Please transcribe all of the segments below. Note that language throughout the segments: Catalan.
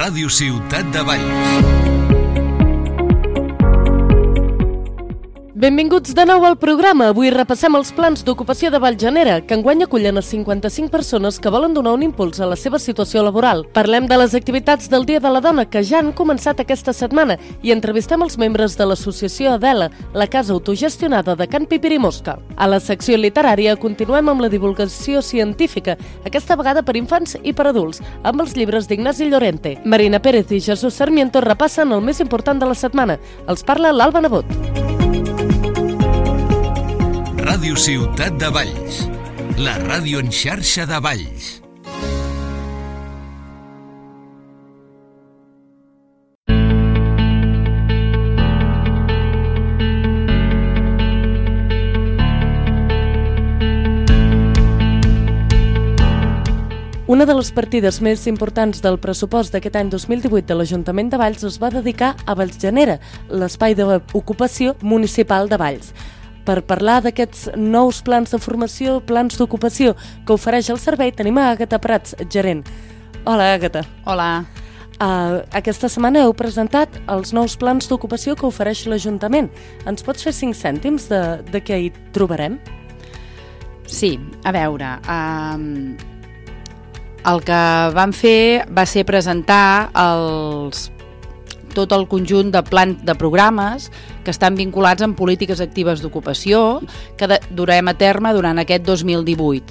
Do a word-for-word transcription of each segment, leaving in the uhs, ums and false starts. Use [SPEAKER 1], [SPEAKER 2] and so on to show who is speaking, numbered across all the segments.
[SPEAKER 1] Ràdio Ciutat de Valls.
[SPEAKER 2] Benvinguts de nou al programa. Avui repassem els plans d'ocupació de Vallgenera, que enguany acullen a cinquanta-cinc persones que volen donar un impuls a la seva situació laboral. Parlem de les activitats del Dia de la Dona que ja han començat aquesta setmana i entrevistem els membres de l'associació Adela, la casa autogestionada de Can Pipirimosca. A la secció literària continuem amb la divulgació científica, aquesta vegada per infants i per adults, amb els llibres d'Ignasi Llorente. Marina Pérez i Jesús Sarmiento repassen el més important de la setmana. Els parla l'Alba Nebot.
[SPEAKER 1] Ràdio Ciutat de Valls, la ràdio en xarxa de Valls.
[SPEAKER 2] Una de les partides més importants del pressupost d'aquest any dos mil divuit de l'Ajuntament de Valls es va dedicar a Vallgenera, l'espai d'ocupació municipal de Valls. Per parlar d'aquests nous plans de formació, plans d'ocupació que ofereix el servei, tenim a Àgata Prats, gerent. Hola, Àgata.
[SPEAKER 3] Hola.
[SPEAKER 2] Uh, aquesta setmana heu presentat els nous plans d'ocupació que ofereix l'Ajuntament. Ens pots fer cinc cèntims de, de què hi trobarem?
[SPEAKER 3] Sí, a veure... Um, el que vam fer va ser presentar els... tot el conjunt de plan de programes que estan vinculats amb polítiques actives d'ocupació que de, durem a terme durant aquest dos mil divuit.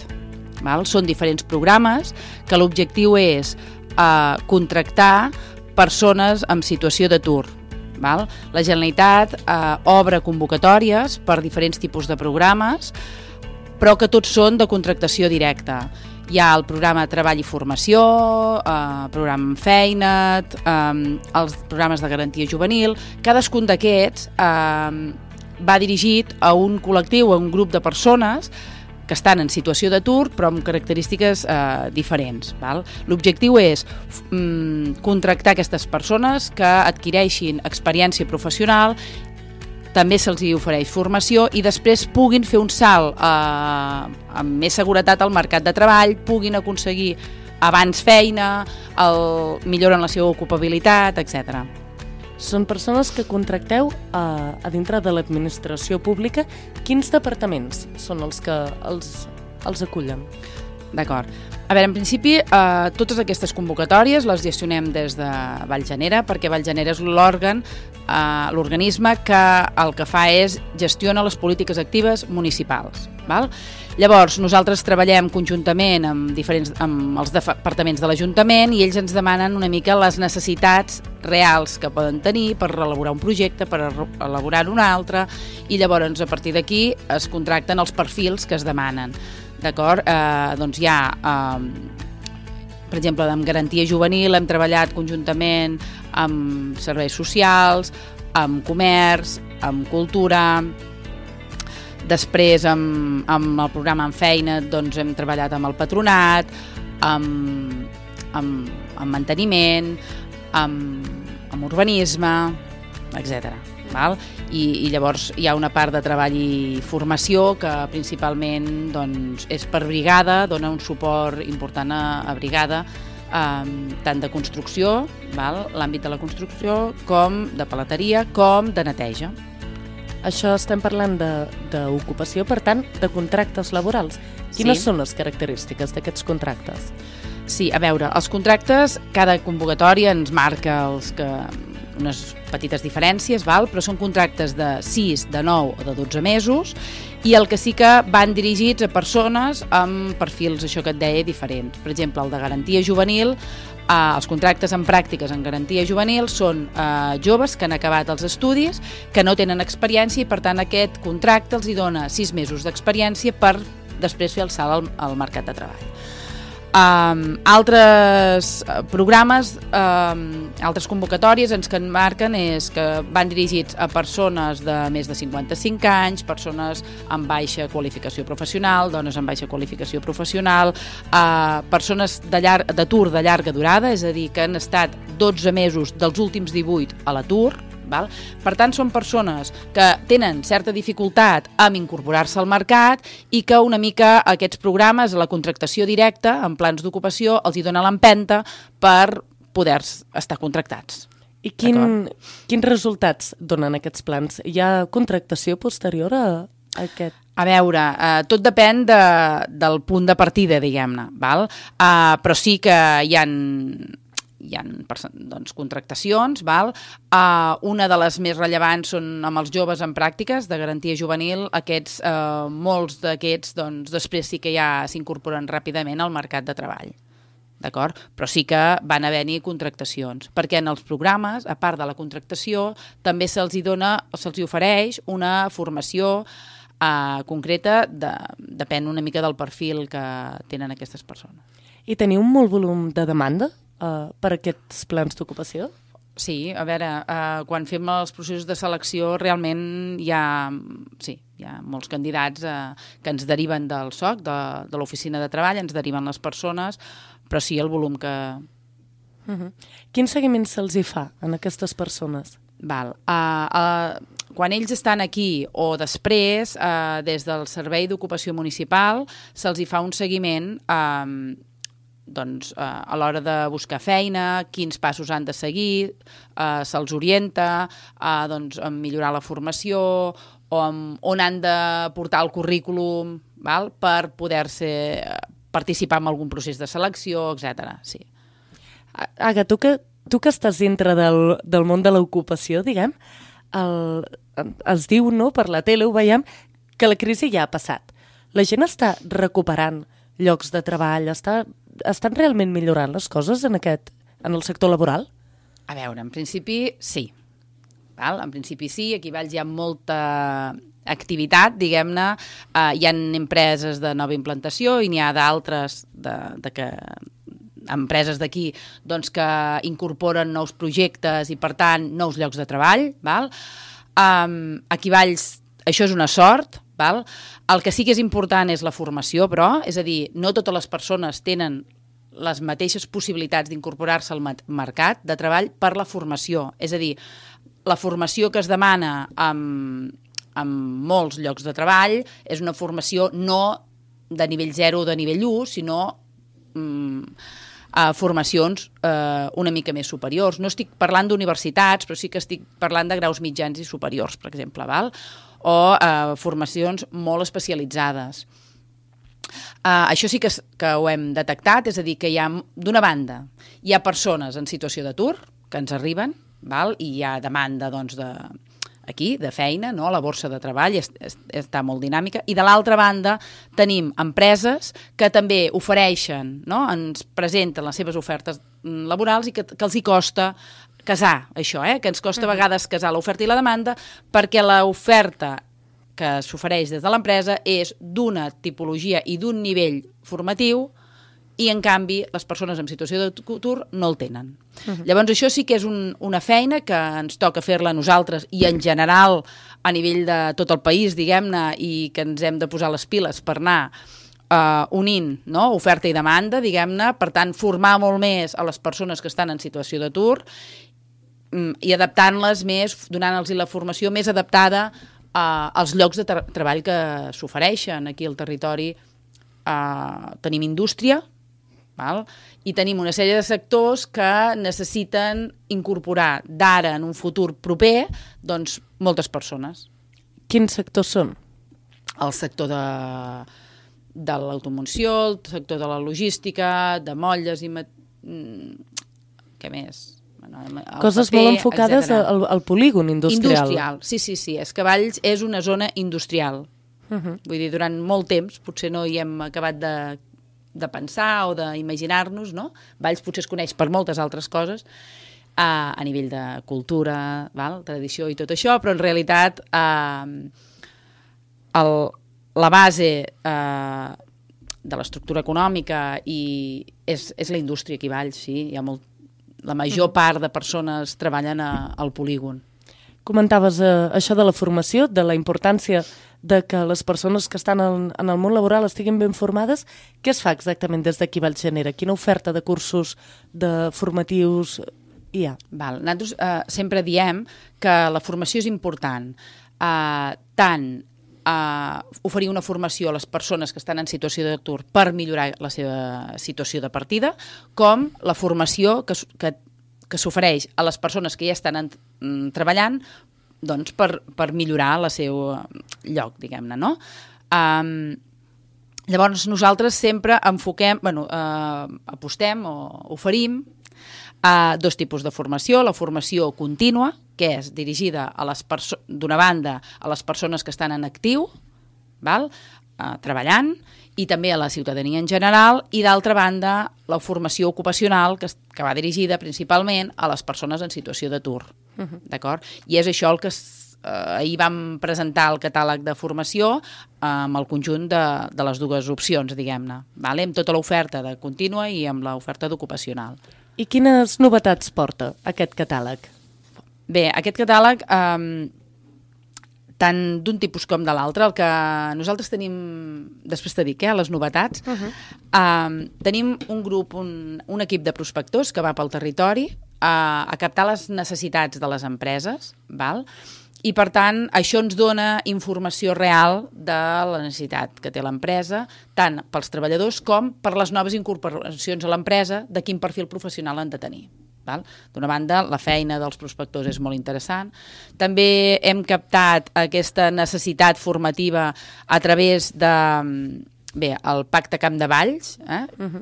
[SPEAKER 3] Val? Són diferents programes que l'objectiu és eh, contractar persones en situació d'atur. Val? La Generalitat eh, obre convocatòries per diferents tipus de programes, però que tots són de contractació directa. Hi ha el programa Treball i Formació, eh, programa Feina't, eh, els programes de garantia juvenil. Cadascun d'aquests eh, va dirigit a un col·lectiu, a un grup de persones que estan en situació d'atur però amb característiques eh, diferents. Val? L'objectiu és mm, contractar aquestes persones que adquireixin experiència professional, també se'ls hi ofereix formació i després puguin fer un salt eh, amb més seguretat al mercat de treball, puguin aconseguir abans feina, el, milloren la seva ocupabilitat, etcètera.
[SPEAKER 2] Són persones que contracteu a, a dintre de l'administració pública. Quins departaments són els que els, els acullen?
[SPEAKER 3] D'acord. A veure, en principi, eh, totes aquestes convocatòries les gestionem des de Vallgenera, perquè Vallgenera és l'òrgan, eh, l'organisme que el que fa és gestiona les polítiques actives municipals. Val? Llavors, nosaltres treballem conjuntament amb, diferents, amb els departaments de l'Ajuntament i ells ens demanen una mica les necessitats reals que poden tenir per elaborar un projecte, per elaborar un altre, i llavors a partir d'aquí es contracten els perfils que es demanen. D'acord? Eh, doncs hi ha, eh, per exemple, amb garantia juvenil hem treballat conjuntament amb serveis socials, amb comerç, amb cultura. Després, amb, amb el programa En Feina, doncs hem treballat amb el patronat, amb, amb, amb manteniment, amb, amb urbanisme, etcètera. Val? I, i llavors hi ha una part de treball i formació que principalment doncs, és per brigada, dona un suport important a, a brigada, eh, tant de construcció, val? L'àmbit de la construcció, com de paleteria, com de neteja.
[SPEAKER 2] Això estem parlant d'ocupació, per tant, de contractes laborals. Quines sí. són les característiques d'aquests contractes?
[SPEAKER 3] Sí, a veure, els contractes, cada convocatòria ens marca els que... unes petites diferències, val? Però són contractes de sis, de nou o de dotze mesos i el que sí que van dirigits a persones amb perfils, això que et deia, diferents. Per exemple, el de garantia juvenil, eh, els contractes en pràctiques en garantia juvenil són eh, joves que han acabat els estudis, que no tenen experiència i per tant aquest contracte els hi dona sis mesos d'experiència per després fer el salt al, al mercat de treball. Um, altres programes, um, altres convocatòries ens que marquen és que van dirigits a persones de més de cinquanta-cinc anys, persones amb baixa qualificació professional, dones amb baixa qualificació professional, uh, persones de llar- d'atur de llarga durada, és a dir, que han estat dotze mesos dels últims divuit a l'atur, val? Per tant, són persones que tenen certa dificultat en incorporar-se al mercat i que una mica aquests programes, la contractació directa en plans d'ocupació, els hi dona l'empenta per poder estar contractats.
[SPEAKER 2] I quin, quins resultats donen aquests plans? Hi ha contractació posterior a, a aquest?
[SPEAKER 3] A veure, eh, tot depèn de, del punt de partida, diguem-ne, val? Uh, però sí que hi ha, hi ha doncs, contractacions, val? Uh, una de les més rellevants són amb els joves en pràctiques de garantia juvenil. Aquests, uh, molts d'aquests doncs, després sí que ja s'incorporen ràpidament al mercat de treball. D'acord? Però sí que van haver-hi contractacions, perquè en els programes, a part de la contractació, també se'ls hi dona, se'ls hi ofereix una formació Uh, concreta, de, depèn una mica del perfil que tenen aquestes persones.
[SPEAKER 2] I teniu un molt volum de demanda uh, per aquests plans d'ocupació?
[SPEAKER 3] Sí, a veure, uh, quan fem els processos de selecció realment hi ha, sí, hi ha molts candidats uh, que ens deriven del S O C, de, de l'oficina de treball, ens deriven les persones, però sí el volum que...
[SPEAKER 2] Uh-huh. Quin seguiment se'ls hi fa en aquestes persones?
[SPEAKER 3] Val. Uh, uh, quan ells estan aquí o després, uh, des del Servei d'Ocupació Municipal, se'ls hi fa un seguiment um, doncs, uh, a l'hora de buscar feina, quins passos han de seguir, uh, se'ls orienta uh, doncs, a millorar la formació o amb, on han de portar el currículum, val? Per poder-se participar en algun procés de selecció, etcètera. Sí.
[SPEAKER 2] Aga, tu que Tu que estàs dintre del, del món de l'ocupació, diguem, el, es diu, no, per la tele ho veiem, que la crisi ja ha passat. La gent està recuperant llocs de treball, està, estan realment millorant les coses en, aquest, en el sector laboral?
[SPEAKER 3] A veure, en principi sí. Val? En principi sí, aquí a Valls hi ha molta activitat, diguem-ne, uh, hi ha empreses de nova implantació i n'hi ha d'altres de, de que... empreses d'aquí doncs, que incorporen nous projectes i, per tant, nous llocs de treball. Val? Um, aquí a Valls això és una sort. Val? El que sí que és important és la formació, però, és a dir, no totes les persones tenen les mateixes possibilitats d'incorporar-se al mercat de treball per la formació. És a dir, la formació que es demana en, en molts llocs de treball és una formació no de nivell zero o de nivell u, sinó... Um, a formacions eh, una mica més superiors. No estic parlant d'universitats, però sí que estic parlant de graus mitjans i superiors, per exemple, val? O eh, formacions molt especialitzades. Eh, això sí que, que ho hem detectat, és a dir, que hi ha, d'una banda, hi ha persones en situació d'atur que ens arriben, val? I hi ha demanda, doncs, de... aquí, de feina, no? La borsa de treball és, és, està molt dinàmica, i de l'altra banda tenim empreses que també ofereixen, no? Ens presenten les seves ofertes laborals i que, que els hi costa casar això, eh? Que ens costa a vegades casar l'oferta i la demanda, perquè l'oferta que s'ofereix des de l'empresa és d'una tipologia i d'un nivell formatiu i, en canvi, les persones en situació d'atur no el tenen. Uh-huh. Llavors, això sí que és un, una feina que ens toca fer-la a nosaltres i, en general, a nivell de tot el país, diguem-ne, i que ens hem de posar les piles per anar uh, unint, no? Oferta i demanda, diguem-ne, per tant, formar molt més a les persones que estan en situació d'atur um, i adaptant-les més, donant-los la formació més adaptada uh, als llocs de tra- treball que s'ofereixen. Aquí al territori uh, tenim indústria, val? I tenim una sèrie de sectors que necessiten incorporar d'ara en un futur proper doncs, moltes persones.
[SPEAKER 2] Quins sectors són?
[SPEAKER 3] El sector de, de l'automoció, el sector de la logística, de motlles i... Què més? Bueno,
[SPEAKER 2] coses paper, molt enfocades al, al polígon industrial.
[SPEAKER 3] Industrial, sí, sí, sí. És que Valls és una zona industrial. Uh-huh. Vull dir, durant molt temps, potser no hi hem acabat de... de pensar o d'imaginar-nos, no? Valls potser es coneix per moltes altres coses eh, a nivell de cultura, val? Tradició i tot això, però en realitat eh, el, la base eh, de l'estructura econòmica i és, és la indústria aquí a Valls, sí. Hi ha molt, la major part de persones treballen a, al polígon.
[SPEAKER 2] Comentaves eh, això de la formació, de la importància de que les persones que estan en, en el món laboral estiguin ben formades. Què es fa exactament des d'aquí Valls Genera? Quina oferta de cursos, de formatius hi ha?
[SPEAKER 3] Val. Nosaltres eh, sempre diem que la formació és important, eh, tant uh, oferir una formació a les persones que estan en situació d'atur per millorar la seva situació de partida, com la formació que, que, que s'ofereix a les persones que ja estan en, mm, treballant doncs, per, per millorar el seu lloc, diguem-ne, no? Um, llavors, nosaltres sempre enfoquem, bueno, uh, apostem o oferim uh, dos tipus de formació. La formació contínua, que és dirigida a les perso- d'una banda a les persones que estan en actiu, val? Uh, treballant, i també a la ciutadania en general, i d'altra banda la formació ocupacional, que, que va dirigida principalment a les persones en situació d'atur. Uh-huh. D'acord? I és això el que eh, ahir vam presentar el catàleg de formació eh, amb el conjunt de, de les dues opcions, diguem-ne, vale? Amb tota l'oferta de contínua i amb l'oferta d'ocupacional.
[SPEAKER 2] I quines novetats porta aquest catàleg?
[SPEAKER 3] Bé, aquest catàleg... Eh, tant d'un tipus com de l'altre, el que nosaltres tenim, després te dic, eh, les novetats, uh-huh. eh, tenim un grup, un, un equip de prospectors que va pel territori eh, a captar les necessitats de les empreses, val? I per tant això ens dona informació real de la necessitat que té l'empresa, tant pels treballadors com per les noves incorporacions a l'empresa, de quin perfil professional han de tenir. D'una banda, la feina dels prospectors és molt interessant. També hem captat aquesta necessitat formativa a través de, bé, el Pacte Camp de Valls, eh? uh-huh.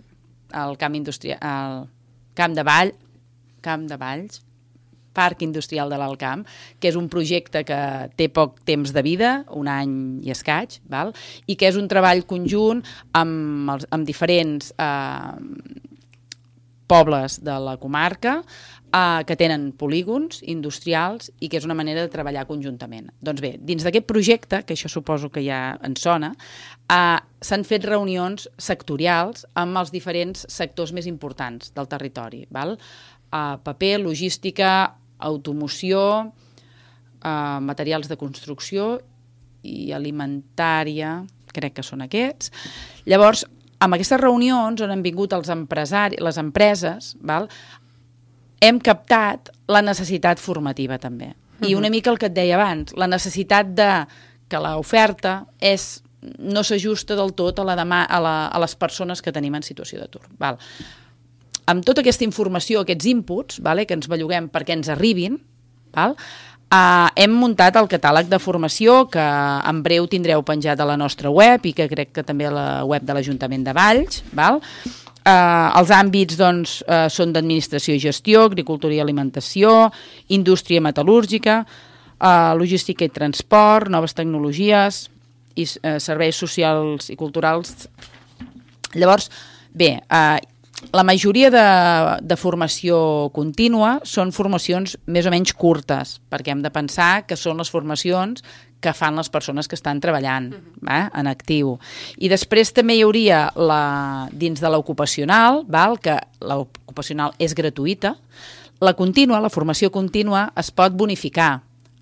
[SPEAKER 3] el Camp Industrial, el Camp de Vall, Camp de Valls, Parc Industrial de l'Altcamp, que és un projecte que té poc temps de vida, un any i escaig, val? I que és un treball conjunt amb, els, amb diferents eh, pobles de la comarca eh, que tenen polígons industrials i que és una manera de treballar conjuntament. Doncs bé, dins d'aquest projecte, que això suposo que ja en sona, eh, s'han fet reunions sectorials amb els diferents sectors més importants del territori. Val? Eh, paper, logística, automoció, eh, materials de construcció i alimentària, crec que són aquests. Llavors, amb aquestes reunions on han vingut els empresaris, les empreses, val? Hem captat la necessitat formativa també. Uh-huh. I una mica el que et deia abans, la necessitat de que l'oferta és, no s'ajusta del tot a, la demà, a, la, a les persones que tenim en situació d'atur. Val? Amb tota aquesta informació, aquests inputs, vale, que ens belluguem perquè ens arribin, val? Uh, hem muntat el catàleg de formació que en breu tindreu penjat a la nostra web i que crec que també a la web de l'Ajuntament de Valls. Val? Uh, els àmbits doncs, uh, són d'administració i gestió, agricultura i alimentació, indústria metal·lúrgica, uh, logística i transport, noves tecnologies i uh, serveis socials i culturals. Llavors, bé, uh, la majoria de, de formació contínua són formacions més o menys curtes, perquè hem de pensar que són les formacions que fan les persones que estan treballant uh-huh. eh, en actiu. I després també hi hauria, la, dins de l'ocupacional, val, que l'ocupacional és gratuïta, la contínua, la formació contínua, es pot bonificar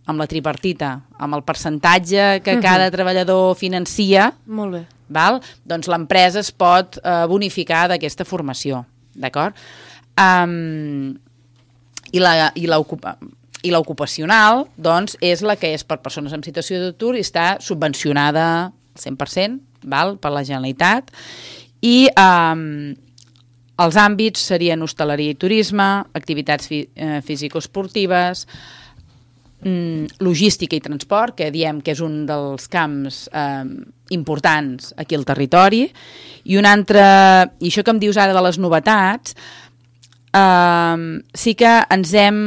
[SPEAKER 3] amb la tripartita, amb el percentatge que uh-huh. cada treballador financia. Molt bé. Val? Doncs l'empresa es pot eh, bonificar d'aquesta formació, d'acord? Um, i la, i l'ocupa, i l'ocupacional, doncs, és la que és per persones en situació d'atur i està subvencionada al cent per cent, val? Per la Generalitat, i um, els àmbits serien hostaleria i turisme, activitats fi, eh, físico-esportives, logística i transport, que diem que és un dels camps eh, importants aquí al territori, i un altre, i això que em dius ara de les novetats, eh, sí que ens hem,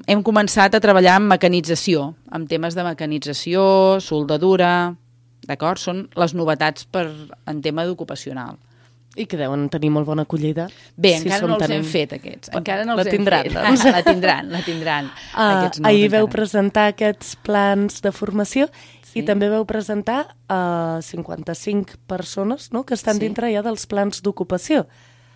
[SPEAKER 3] hem començat a treballar en mecanització, amb temes de mecanització, soldadura, d'acord? Són les novetats per, en tema d'ocupacional.
[SPEAKER 2] I que deuen tenir molt bona acollida.
[SPEAKER 3] Bé, si encara no els tenim... hem fet, aquests. Encara no els
[SPEAKER 2] la tindran,
[SPEAKER 3] hem fet.
[SPEAKER 2] Doncs.
[SPEAKER 3] La tindran, la tindran.
[SPEAKER 2] Uh, ahir veu presentar aquests plans de formació sí. i també veu presentar uh, cinquanta-cinc persones, no?, que estan sí. dintre ja dels plans d'ocupació.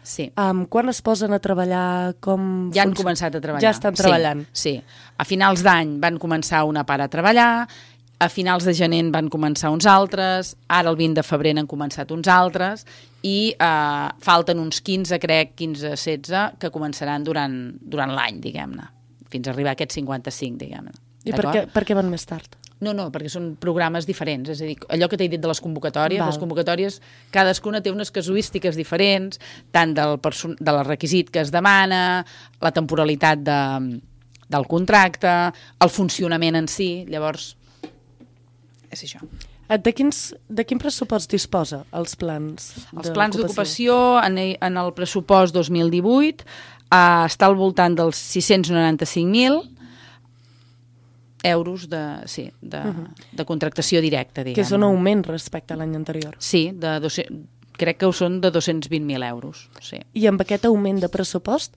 [SPEAKER 3] Sí.
[SPEAKER 2] Um, quan es posen a treballar? Com
[SPEAKER 3] ja han func... començat a treballar.
[SPEAKER 2] Ja estan treballant.
[SPEAKER 3] Sí, sí. A finals d'any van començar una part a treballar, a finals de gener van començar uns altres, ara el vint de febrer han començat uns altres, i eh, falten uns quinze, crec, quinze, setze, que començaran durant, durant l'any, diguem-ne, fins a arribar a aquests cinquanta-cinc, diguem-ne.
[SPEAKER 2] I per què, per què van més tard?
[SPEAKER 3] No, no, perquè són programes diferents. És a dir, allò que t'he dit de les convocatòries,
[SPEAKER 2] Val.
[SPEAKER 3] les convocatòries, cadascuna té unes casuístiques diferents, tant del, perso- del requisit que es demana, la temporalitat de, del contracte, el funcionament en si. Llavors, és això.
[SPEAKER 2] De, quins, de quin pressupost disposa els plans
[SPEAKER 3] Els plans d'ocupació, en, en el pressupost dos mil divuit, eh, està al voltant dels sis-cents noranta-cinc mil euros de, sí, de, uh-huh. de contractació directa, diguem.
[SPEAKER 2] Que és un augment respecte a l'any anterior.
[SPEAKER 3] Sí, de dos-cents, crec que ho són de dos-cents vint mil euros. Sí.
[SPEAKER 2] I amb aquest augment de pressupost,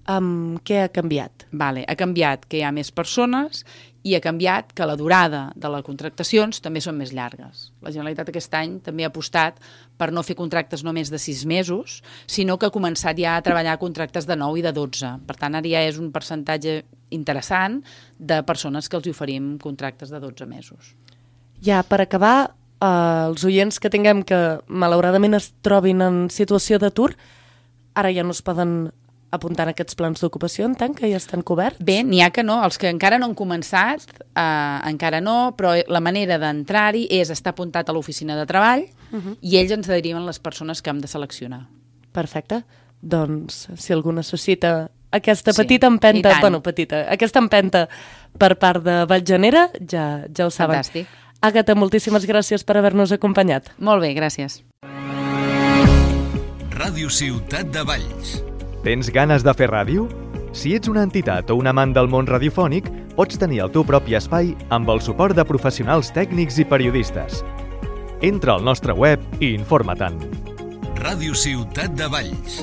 [SPEAKER 2] um, què ha canviat?
[SPEAKER 3] Vale, ha canviat que hi ha més persones i ha canviat que la durada de les contractacions també són més llargues. La Generalitat aquest any també ha apostat per no fer contractes només de sis mesos, sinó que ha començat ja a treballar contractes de nou i de dotze. Per tant, ara ja és un percentatge interessant de persones que els oferim contractes de dotze mesos.
[SPEAKER 2] Ja, per acabar, eh, els oients que tinguem que malauradament es trobin en situació d'atur, ara ja no es poden apuntar en aquests plans d'ocupació, en tant que ja estan coberts?
[SPEAKER 3] Bé, n'hi ha que no. Els que encara no han començat, eh, encara no, però la manera d'entrar-hi és estar apuntat a l'oficina de treball uh-huh. i ells ens deriven les persones que hem de seleccionar.
[SPEAKER 2] Perfecte. Doncs, si algú necessita aquesta
[SPEAKER 3] Sí,
[SPEAKER 2] petita empenta,
[SPEAKER 3] i tant.
[SPEAKER 2] bueno, petita, aquesta empenta per part de Vallgenera, ja, ja ho saben.
[SPEAKER 3] Fantàstic.
[SPEAKER 2] Àgata, moltíssimes gràcies per haver-nos acompanyat.
[SPEAKER 3] Molt bé, gràcies.
[SPEAKER 1] Ràdio Ciutat de Valls.
[SPEAKER 4] Tens ganes de fer ràdio? Si ets una entitat o un amant del món radiofònic, pots tenir el teu propi espai amb el suport de professionals tècnics i periodistes. Entra al nostre web i informa-te'n.
[SPEAKER 1] Ràdio Ciutat de Valls.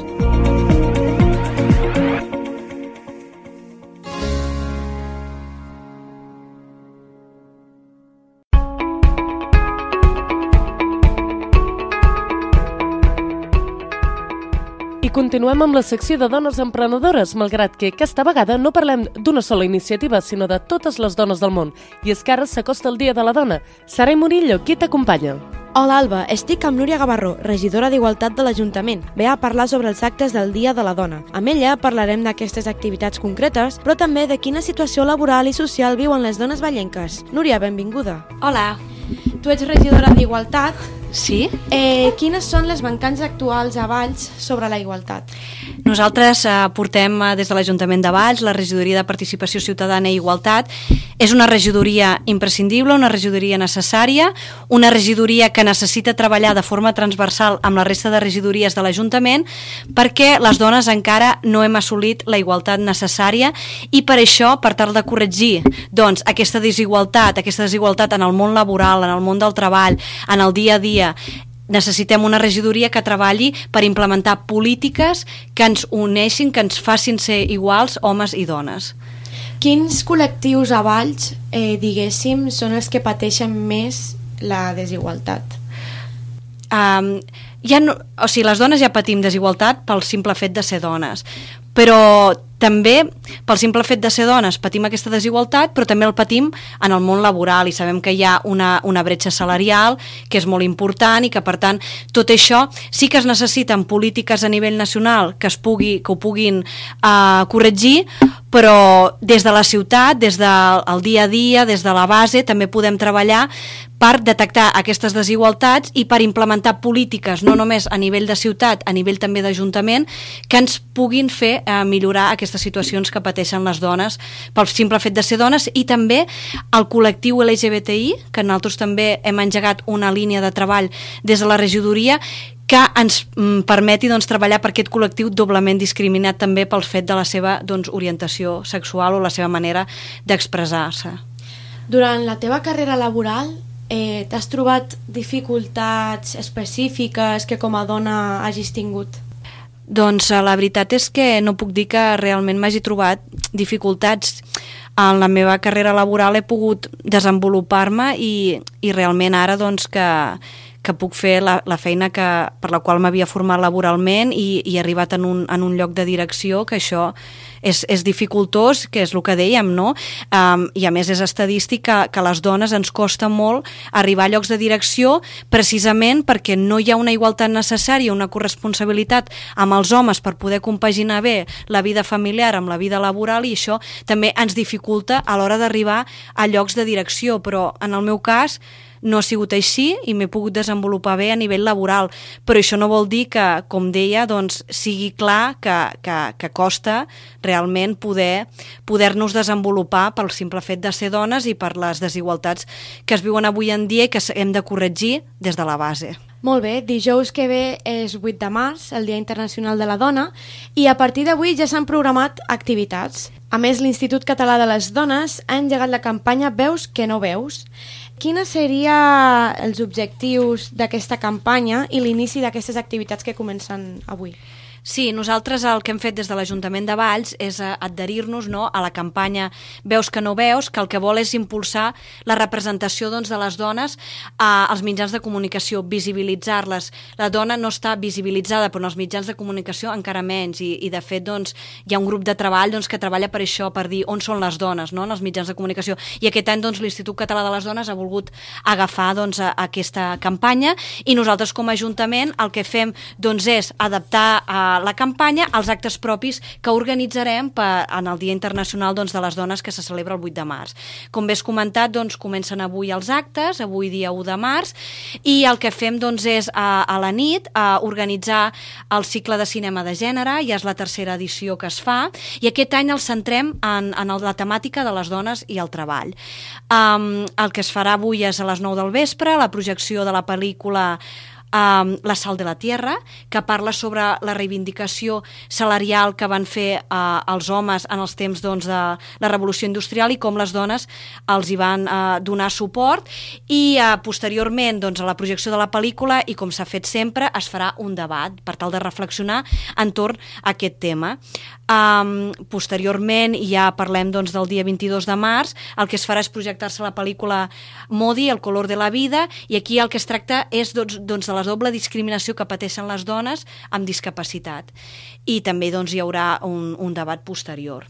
[SPEAKER 2] I continuem amb la secció de dones emprenedores, malgrat que aquesta vegada no parlem d'una sola iniciativa, sinó de totes les dones del món. I és que ara s'acosta el Dia de la Dona. Sarai Murillo, qui t'acompanya?
[SPEAKER 5] Hola Alba, estic amb Núria Gavarró, regidora d'Igualtat de l'Ajuntament. Ve a parlar sobre els actes del Dia de la Dona. Amb ella parlarem d'aquestes activitats concretes, però també de quina situació laboral i social viuen les dones vallenques. Núria, benvinguda.
[SPEAKER 6] Hola, tu ets regidora d'Igualtat.
[SPEAKER 5] Sí?
[SPEAKER 6] Eh, quines són les mancances actuals a Valls sobre la igualtat?
[SPEAKER 7] Nosaltres eh, portem eh, des de l'Ajuntament de Valls la regidoria de Participació Ciutadana i Igualtat. És una regidoria imprescindible, una regidoria necessària, una regidoria que necessita treballar de forma transversal amb la resta de regidories de l'Ajuntament perquè les dones encara no hem assolit la igualtat necessària i per això, per tal de corregir doncs, aquesta desigualtat, aquesta desigualtat en el món laboral, en el món del treball, en el dia a dia, necessitem una regidoria que treballi per implementar polítiques que ens uneixin, que ens facin ser iguals homes i dones.
[SPEAKER 6] Quins col·lectius a Valls, eh, diguéssim, són els que pateixen més la desigualtat?
[SPEAKER 7] Um, ja no, o sigui, les dones ja patim desigualtat pel simple fet de ser dones, però també pel simple fet de ser dones patim aquesta desigualtat, però també el patim en el món laboral i sabem que hi ha una, una bretxa salarial que és molt important i que per tant tot això sí que es necessiten polítiques a nivell nacional que, es pugui, que ho puguin uh, corregir, però des de la ciutat, des del dia a dia, des de la base també podem treballar per detectar aquestes desigualtats i per implementar polítiques no només a nivell de ciutat, a nivell també d'Ajuntament, que ens puguin fer eh, millorar aquestes situacions que pateixen les dones pel simple fet de ser dones i també el col·lectiu L G B T I, que nosaltres també hem engegat una línia de treball des de la regidoria que ens mm, permeti doncs, treballar per aquest col·lectiu doblement discriminat també pel fet de la seva doncs, orientació sexual o la seva manera d'expressar-se.
[SPEAKER 6] Durant la teva carrera laboral, eh, t'has trobat dificultats específiques que com a dona hagis tingut?
[SPEAKER 7] Doncs la veritat és que no puc dir que realment m'hagi trobat dificultats. En la meva carrera laboral he pogut desenvolupar-me i, i realment ara doncs que, que puc fer la, la feina que, per la qual m'havia format laboralment i, i he arribat en un, en un lloc de direcció, que això és, és dificultós, que és el que dèiem, no? Um, I a més és estadístic que, que a les dones ens costa molt arribar a llocs de direcció precisament perquè no hi ha una igualtat necessària, una corresponsabilitat amb els homes per poder compaginar bé la vida familiar amb la vida laboral, i això també ens dificulta a l'hora d'arribar a llocs de direcció, però en el meu cas no ha sigut així i m'he pogut desenvolupar bé a nivell laboral, però això no vol dir que, com deia, doncs, sigui clar que, que, que costa realment poder poder-nos desenvolupar pel simple fet de ser dones i per les desigualtats que es viuen avui en dia i que hem de corregir des de la base.
[SPEAKER 6] Molt bé, dijous que ve és vuit de març, el Dia Internacional de la Dona, i a partir d'avui ja s'han programat activitats. A més, l'Institut Català de les Dones ha engegat la campanya Veus que no veus. Quins serien els objectius d'aquesta campanya i l'inici d'aquestes activitats que comencen avui?
[SPEAKER 7] Sí, nosaltres el que hem fet des de l'Ajuntament de Valls és adherir-nos, no, a la campanya Veus que no veus, que el que vol és impulsar la representació, doncs, de les dones a, als mitjans de comunicació, visibilitzar-les. La dona no està visibilitzada, però en els mitjans de comunicació encara menys, i, i de fet doncs, hi ha un grup de treball doncs, que treballa per això, per dir on són les dones, no, en els mitjans de comunicació. I aquest any doncs, l'Institut Català de les Dones ha volgut agafar doncs, a, a aquesta campanya, i nosaltres com a Ajuntament el que fem doncs, és adaptar a la campanya als actes propis que organitzarem per, en el Dia Internacional doncs, de les Dones, que se celebra el vuit de març. Com bé has comentat, doncs, comencen avui els actes, avui dia u de març, i el que fem doncs, és a, a la nit a organitzar el cicle de cinema de gènere, ja és la tercera edició que es fa, i aquest any el centrem en, en la temàtica de les dones i el treball. Um, el que es farà avui és a les nou del vespre, la projecció de la pel·lícula Um, La sal de la tierra, que parla sobre la reivindicació salarial que van fer uh, els homes en els temps doncs, de la revolució industrial i com les dones els hi van uh, donar suport, i uh, posteriorment doncs, a la projecció de la pel·lícula, i com s'ha fet sempre, es farà un debat per tal de reflexionar entorn a aquest tema. Um, posteriorment, ja parlem doncs, del dia vint-i-dos de març, el que es farà és projectar-se la pel·lícula Modi, El color de la vida, i aquí el que es tracta és doncs, doncs, de la doble discriminació que pateixen les dones amb discapacitat. I també doncs, hi haurà un, un debat posterior.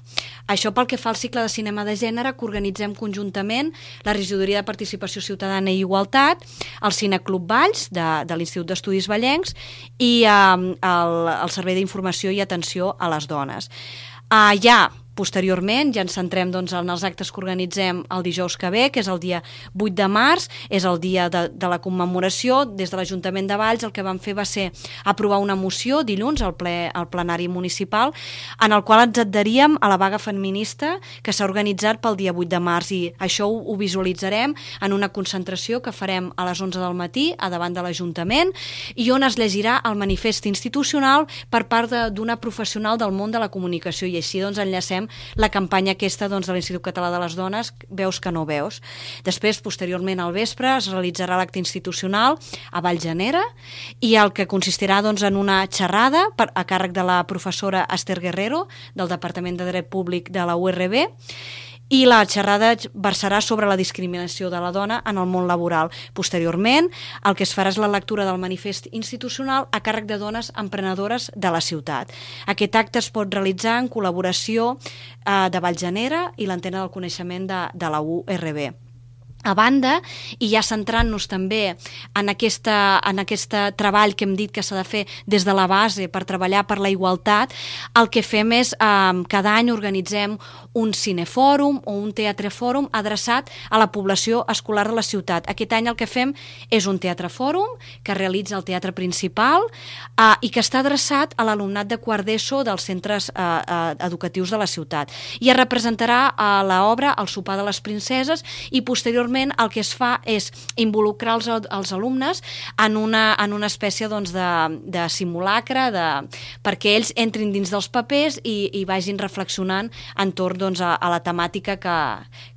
[SPEAKER 7] Això pel que fa al cicle de cinema de gènere que organitzem conjuntament la Regidoria de Participació Ciutadana i Igualtat, el Cineclub Valls de, de l'Institut d'Estudis Vallencs i eh, el, el Servei d'Informació i Atenció a les Dones. Uh, ja posteriorment ja ens centrem doncs, en els actes que organitzem el dijous que ve, que és el dia vuit de març, és el dia de, de la commemoració. Des de l'Ajuntament de Valls el que vam fer va ser aprovar una moció dilluns al, ple, al plenari municipal, en el qual ens adheríem a la vaga feminista que s'ha organitzat pel dia vuit de març, i això ho, ho visualitzarem en una concentració que farem a les onze del matí a davant de l'Ajuntament, i on es llegirà el manifest institucional per part d'una professional del món de la comunicació, i així doncs enllacem la campanya aquesta doncs, de l'Institut Català de les Dones, Veus que no veus. Després, posteriorment al vespre, es realitzarà l'acte institucional a Valljanera, i el que consistirà doncs, en una xerrada per, a càrrec de la professora Esther Guerrero, del Departament de Dret Públic de la U R B, i la xerrada versarà sobre la discriminació de la dona en el món laboral. Posteriorment, el que es farà és la lectura del manifest institucional a càrrec de dones emprenedores de la ciutat. Aquest acte es pot realitzar en col·laboració eh, de Valljanera i l'Antena del Coneixement de, de la U R B. A banda, i ja centrant-nos també en, aquesta, en aquest treball que hem dit que s'ha de fer des de la base per treballar per la igualtat, el que fem és, eh, cada any organitzem un cinefòrum o un teatrefòrum adreçat a la població escolar de la ciutat. Aquest any el que fem és un teatrefòrum que realitza el Teatre Principal eh, i que està adreçat a l'alumnat de quart d'ESO dels centres eh, eh, educatius de la ciutat. I es representarà a l'obra El sopar de les princeses, i posteriorment el que es fa és involucrar els, els alumnes en una, en una espècie doncs, de, de simulacre de, perquè ells entrin dins dels papers i, i vagin reflexionant entorn doncs, a, a la temàtica que,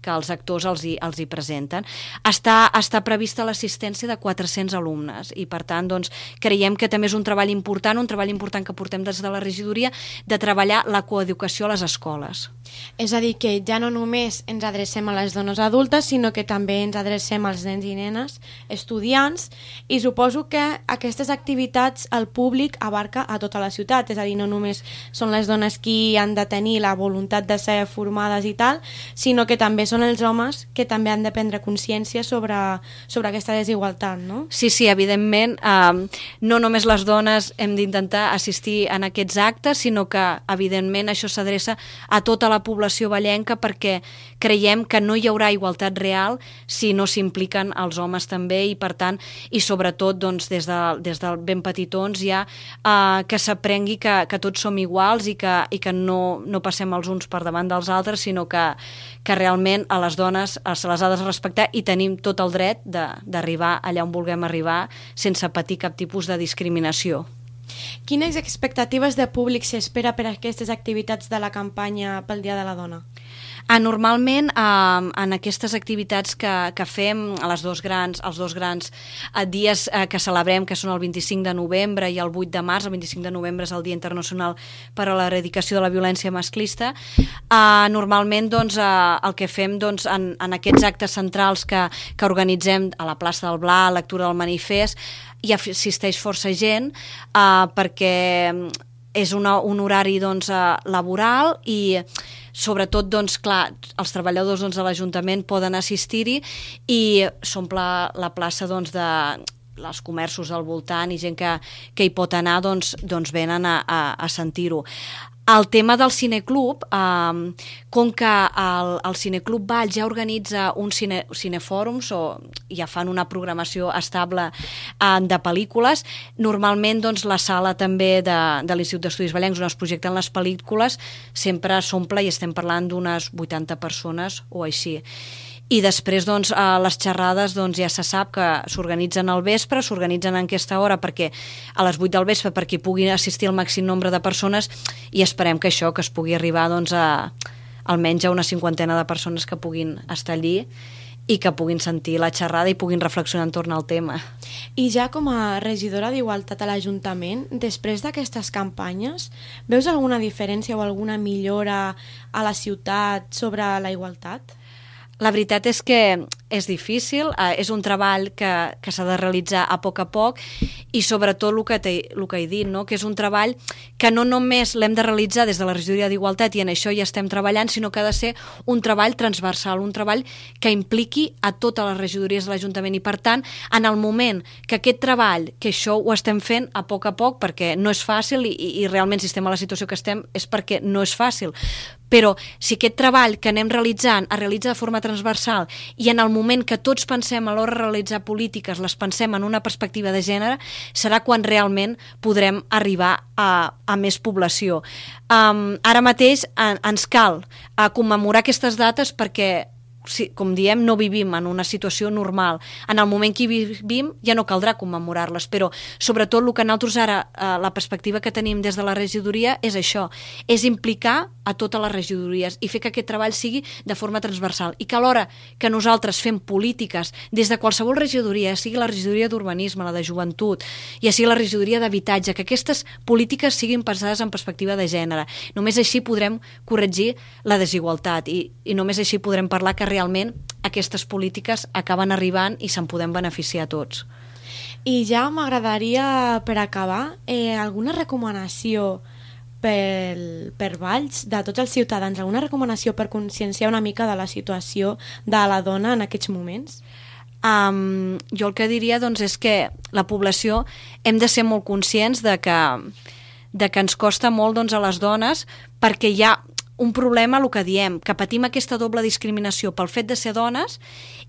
[SPEAKER 7] que els actors els hi, els hi presenten. Està, està prevista l'assistència de quatre-cents alumnes, i per tant doncs, creiem que també és un treball important, un treball important que portem des de la regidoria, de treballar la coeducació a les escoles.
[SPEAKER 6] És a dir, que ja no només ens adrecem a les dones adultes, sinó que també ens adrecem als nens i nenes, estudiants, i suposo que aquestes activitats el públic abarca a tota la ciutat, és a dir, no només són les dones qui han de tenir la voluntat de ser formades i tal, sinó que també són els homes que també han de prendre consciència sobre, sobre aquesta desigualtat, no?
[SPEAKER 7] Sí, sí, evidentment, eh, no només les dones hem d'intentar assistir en aquests actes, sinó que, evidentment, això s'adreça a tota la població vallenca perquè creiem que no hi haurà igualtat real si no s'impliquen els homes també i per tant, i sobretot doncs, des, de, des del ben petitons ja eh, que s'aprengui que, que tots som iguals i que, i que no, no passem els uns per davant dels altres, sinó que, que realment a les dones se les ha de respectar i tenim tot el dret d'arribar allà on vulguem arribar sense patir cap tipus de discriminació.
[SPEAKER 6] Quines expectatives de públic s'espera per a aquestes activitats de la campanya pel Dia de la Dona?
[SPEAKER 7] Ah, normalment, eh, en aquestes activitats que, que fem, a les dos grans, els dos grans eh, dies eh, que celebrem, que són el vint-i-cinc de novembre i el vuit de març, el vint-i-cinc de novembre és el Dia Internacional per a l'Erradicació de la Violència Masclista, eh, normalment doncs, eh, el que fem doncs, en, en aquests actes centrals que, que organitzem a la plaça del Bla, lectura del manifest, hi assisteix força gent eh, perquè és una, un horari doncs, eh, laboral i sobretot, doncs, clar, els treballadors doncs, de l'Ajuntament poden assistir-hi i s'omple la plaça doncs, de els comerços al voltant i gent que, que hi pot anar doncs, doncs venen a, a, a sentir-ho. El tema del cineclub, eh, com que el, el Cineclub Valls ja organitza un cine, cinefòrums o ja fan una programació estable eh, de pel·lícules, normalment doncs, la sala també de, de l'Institut d'Estudis Vallencs on es projecten les pel·lícules sempre s'omple i estem parlant d'unes vuitanta persones o així. I després doncs, les xerrades doncs, ja se sap que s'organitzen al vespre, s'organitzen en aquesta hora perquè a les vuit del vespre perquè pugui assistir el màxim nombre de persones i esperem que això, que es pugui arribar doncs, a almenys a una cinquantena de persones que puguin estar allí i que puguin sentir la xerrada i puguin reflexionar entorn al tema.
[SPEAKER 6] I ja com a regidora d'Igualtat a l'Ajuntament, després d'aquestes campanyes, veus alguna diferència o alguna millora a la ciutat sobre la igualtat?
[SPEAKER 7] La veritat és que és difícil, eh, és un treball que, que s'ha de realitzar a poc a poc i sobretot el que, te, el que he dit, no? Que és un treball que no només l'hem de realitzar des de la regidoria d'Igualtat i en això ja estem treballant, sinó que ha de ser un treball transversal, un treball que impliqui a totes les regidories de l'Ajuntament i per tant, en el moment que aquest treball, que això ho estem fent a poc a poc perquè no és fàcil i, i realment si estem a la situació que estem és perquè no és fàcil, però si aquest treball que anem realitzant es realitza de forma transversal i en el moment que tots pensem a l'hora de realitzar polítiques les pensem en una perspectiva de gènere, serà quan realment podrem arribar a, a més població. Um, ara mateix en, ens cal a commemorar aquestes dates perquè si, com diem, no vivim en una situació normal. En el moment que hi vivim ja no caldrà commemorar-les, però sobretot el que nosaltres ara, eh, la perspectiva que tenim des de la regidoria és això, és implicar a totes les regidories i fer que aquest treball sigui de forma transversal i que alhora que nosaltres fem polítiques des de qualsevol regidoria, sigui la regidoria d'urbanisme, la de joventut, ja sigui la regidoria d'habitatge, que aquestes polítiques siguin pensades en perspectiva de gènere. Només així podrem corregir la desigualtat i, i només així podrem parlar que realment aquestes polítiques acaben arribant i se'n podem beneficiar tots.
[SPEAKER 6] I ja m'agradaria, per acabar, eh, alguna recomanació per, per Valls de tots els ciutadans, alguna recomanació per conscienciar una mica de la situació de la dona en aquests moments?
[SPEAKER 7] Um, jo el que diria doncs, és que la població hem de ser molt conscients de que, de que ens costa molt doncs, a les dones perquè hi ha un problema, el que diem, que patim aquesta doble discriminació pel fet de ser dones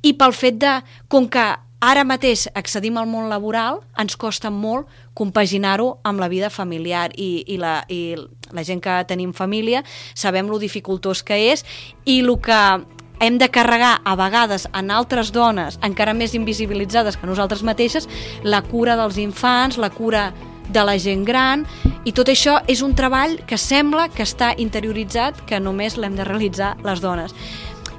[SPEAKER 7] i pel fet de, com que ara mateix accedim al món laboral, ens costa molt compaginar-ho amb la vida familiar i, i, la, i la gent que tenim família sabem lo dificultós que és i el que hem de carregar a vegades en altres dones encara més invisibilitzades que nosaltres mateixes, la cura dels infants, la cura de la gent gran, i tot això és un treball que sembla que està interioritzat, que només l'hem de realitzar les dones.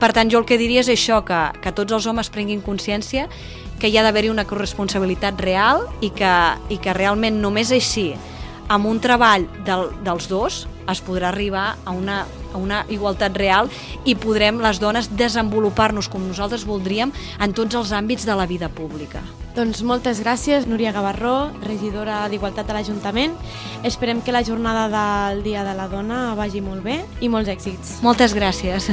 [SPEAKER 7] Per tant, jo el que diria és això, que, que tots els homes prenguin consciència que hi ha d'haver-hi una corresponsabilitat real i que, i que realment només així amb un treball del, dels dos es podrà arribar a una, a una igualtat real i podrem les dones desenvolupar-nos com nosaltres voldríem en tots els àmbits de la vida pública.
[SPEAKER 6] Doncs moltes gràcies, Núria Gavarró, regidora d'Igualtat de l'Ajuntament. Esperem que la jornada del Dia de la Dona vagi molt bé i molts èxits.
[SPEAKER 7] Moltes gràcies.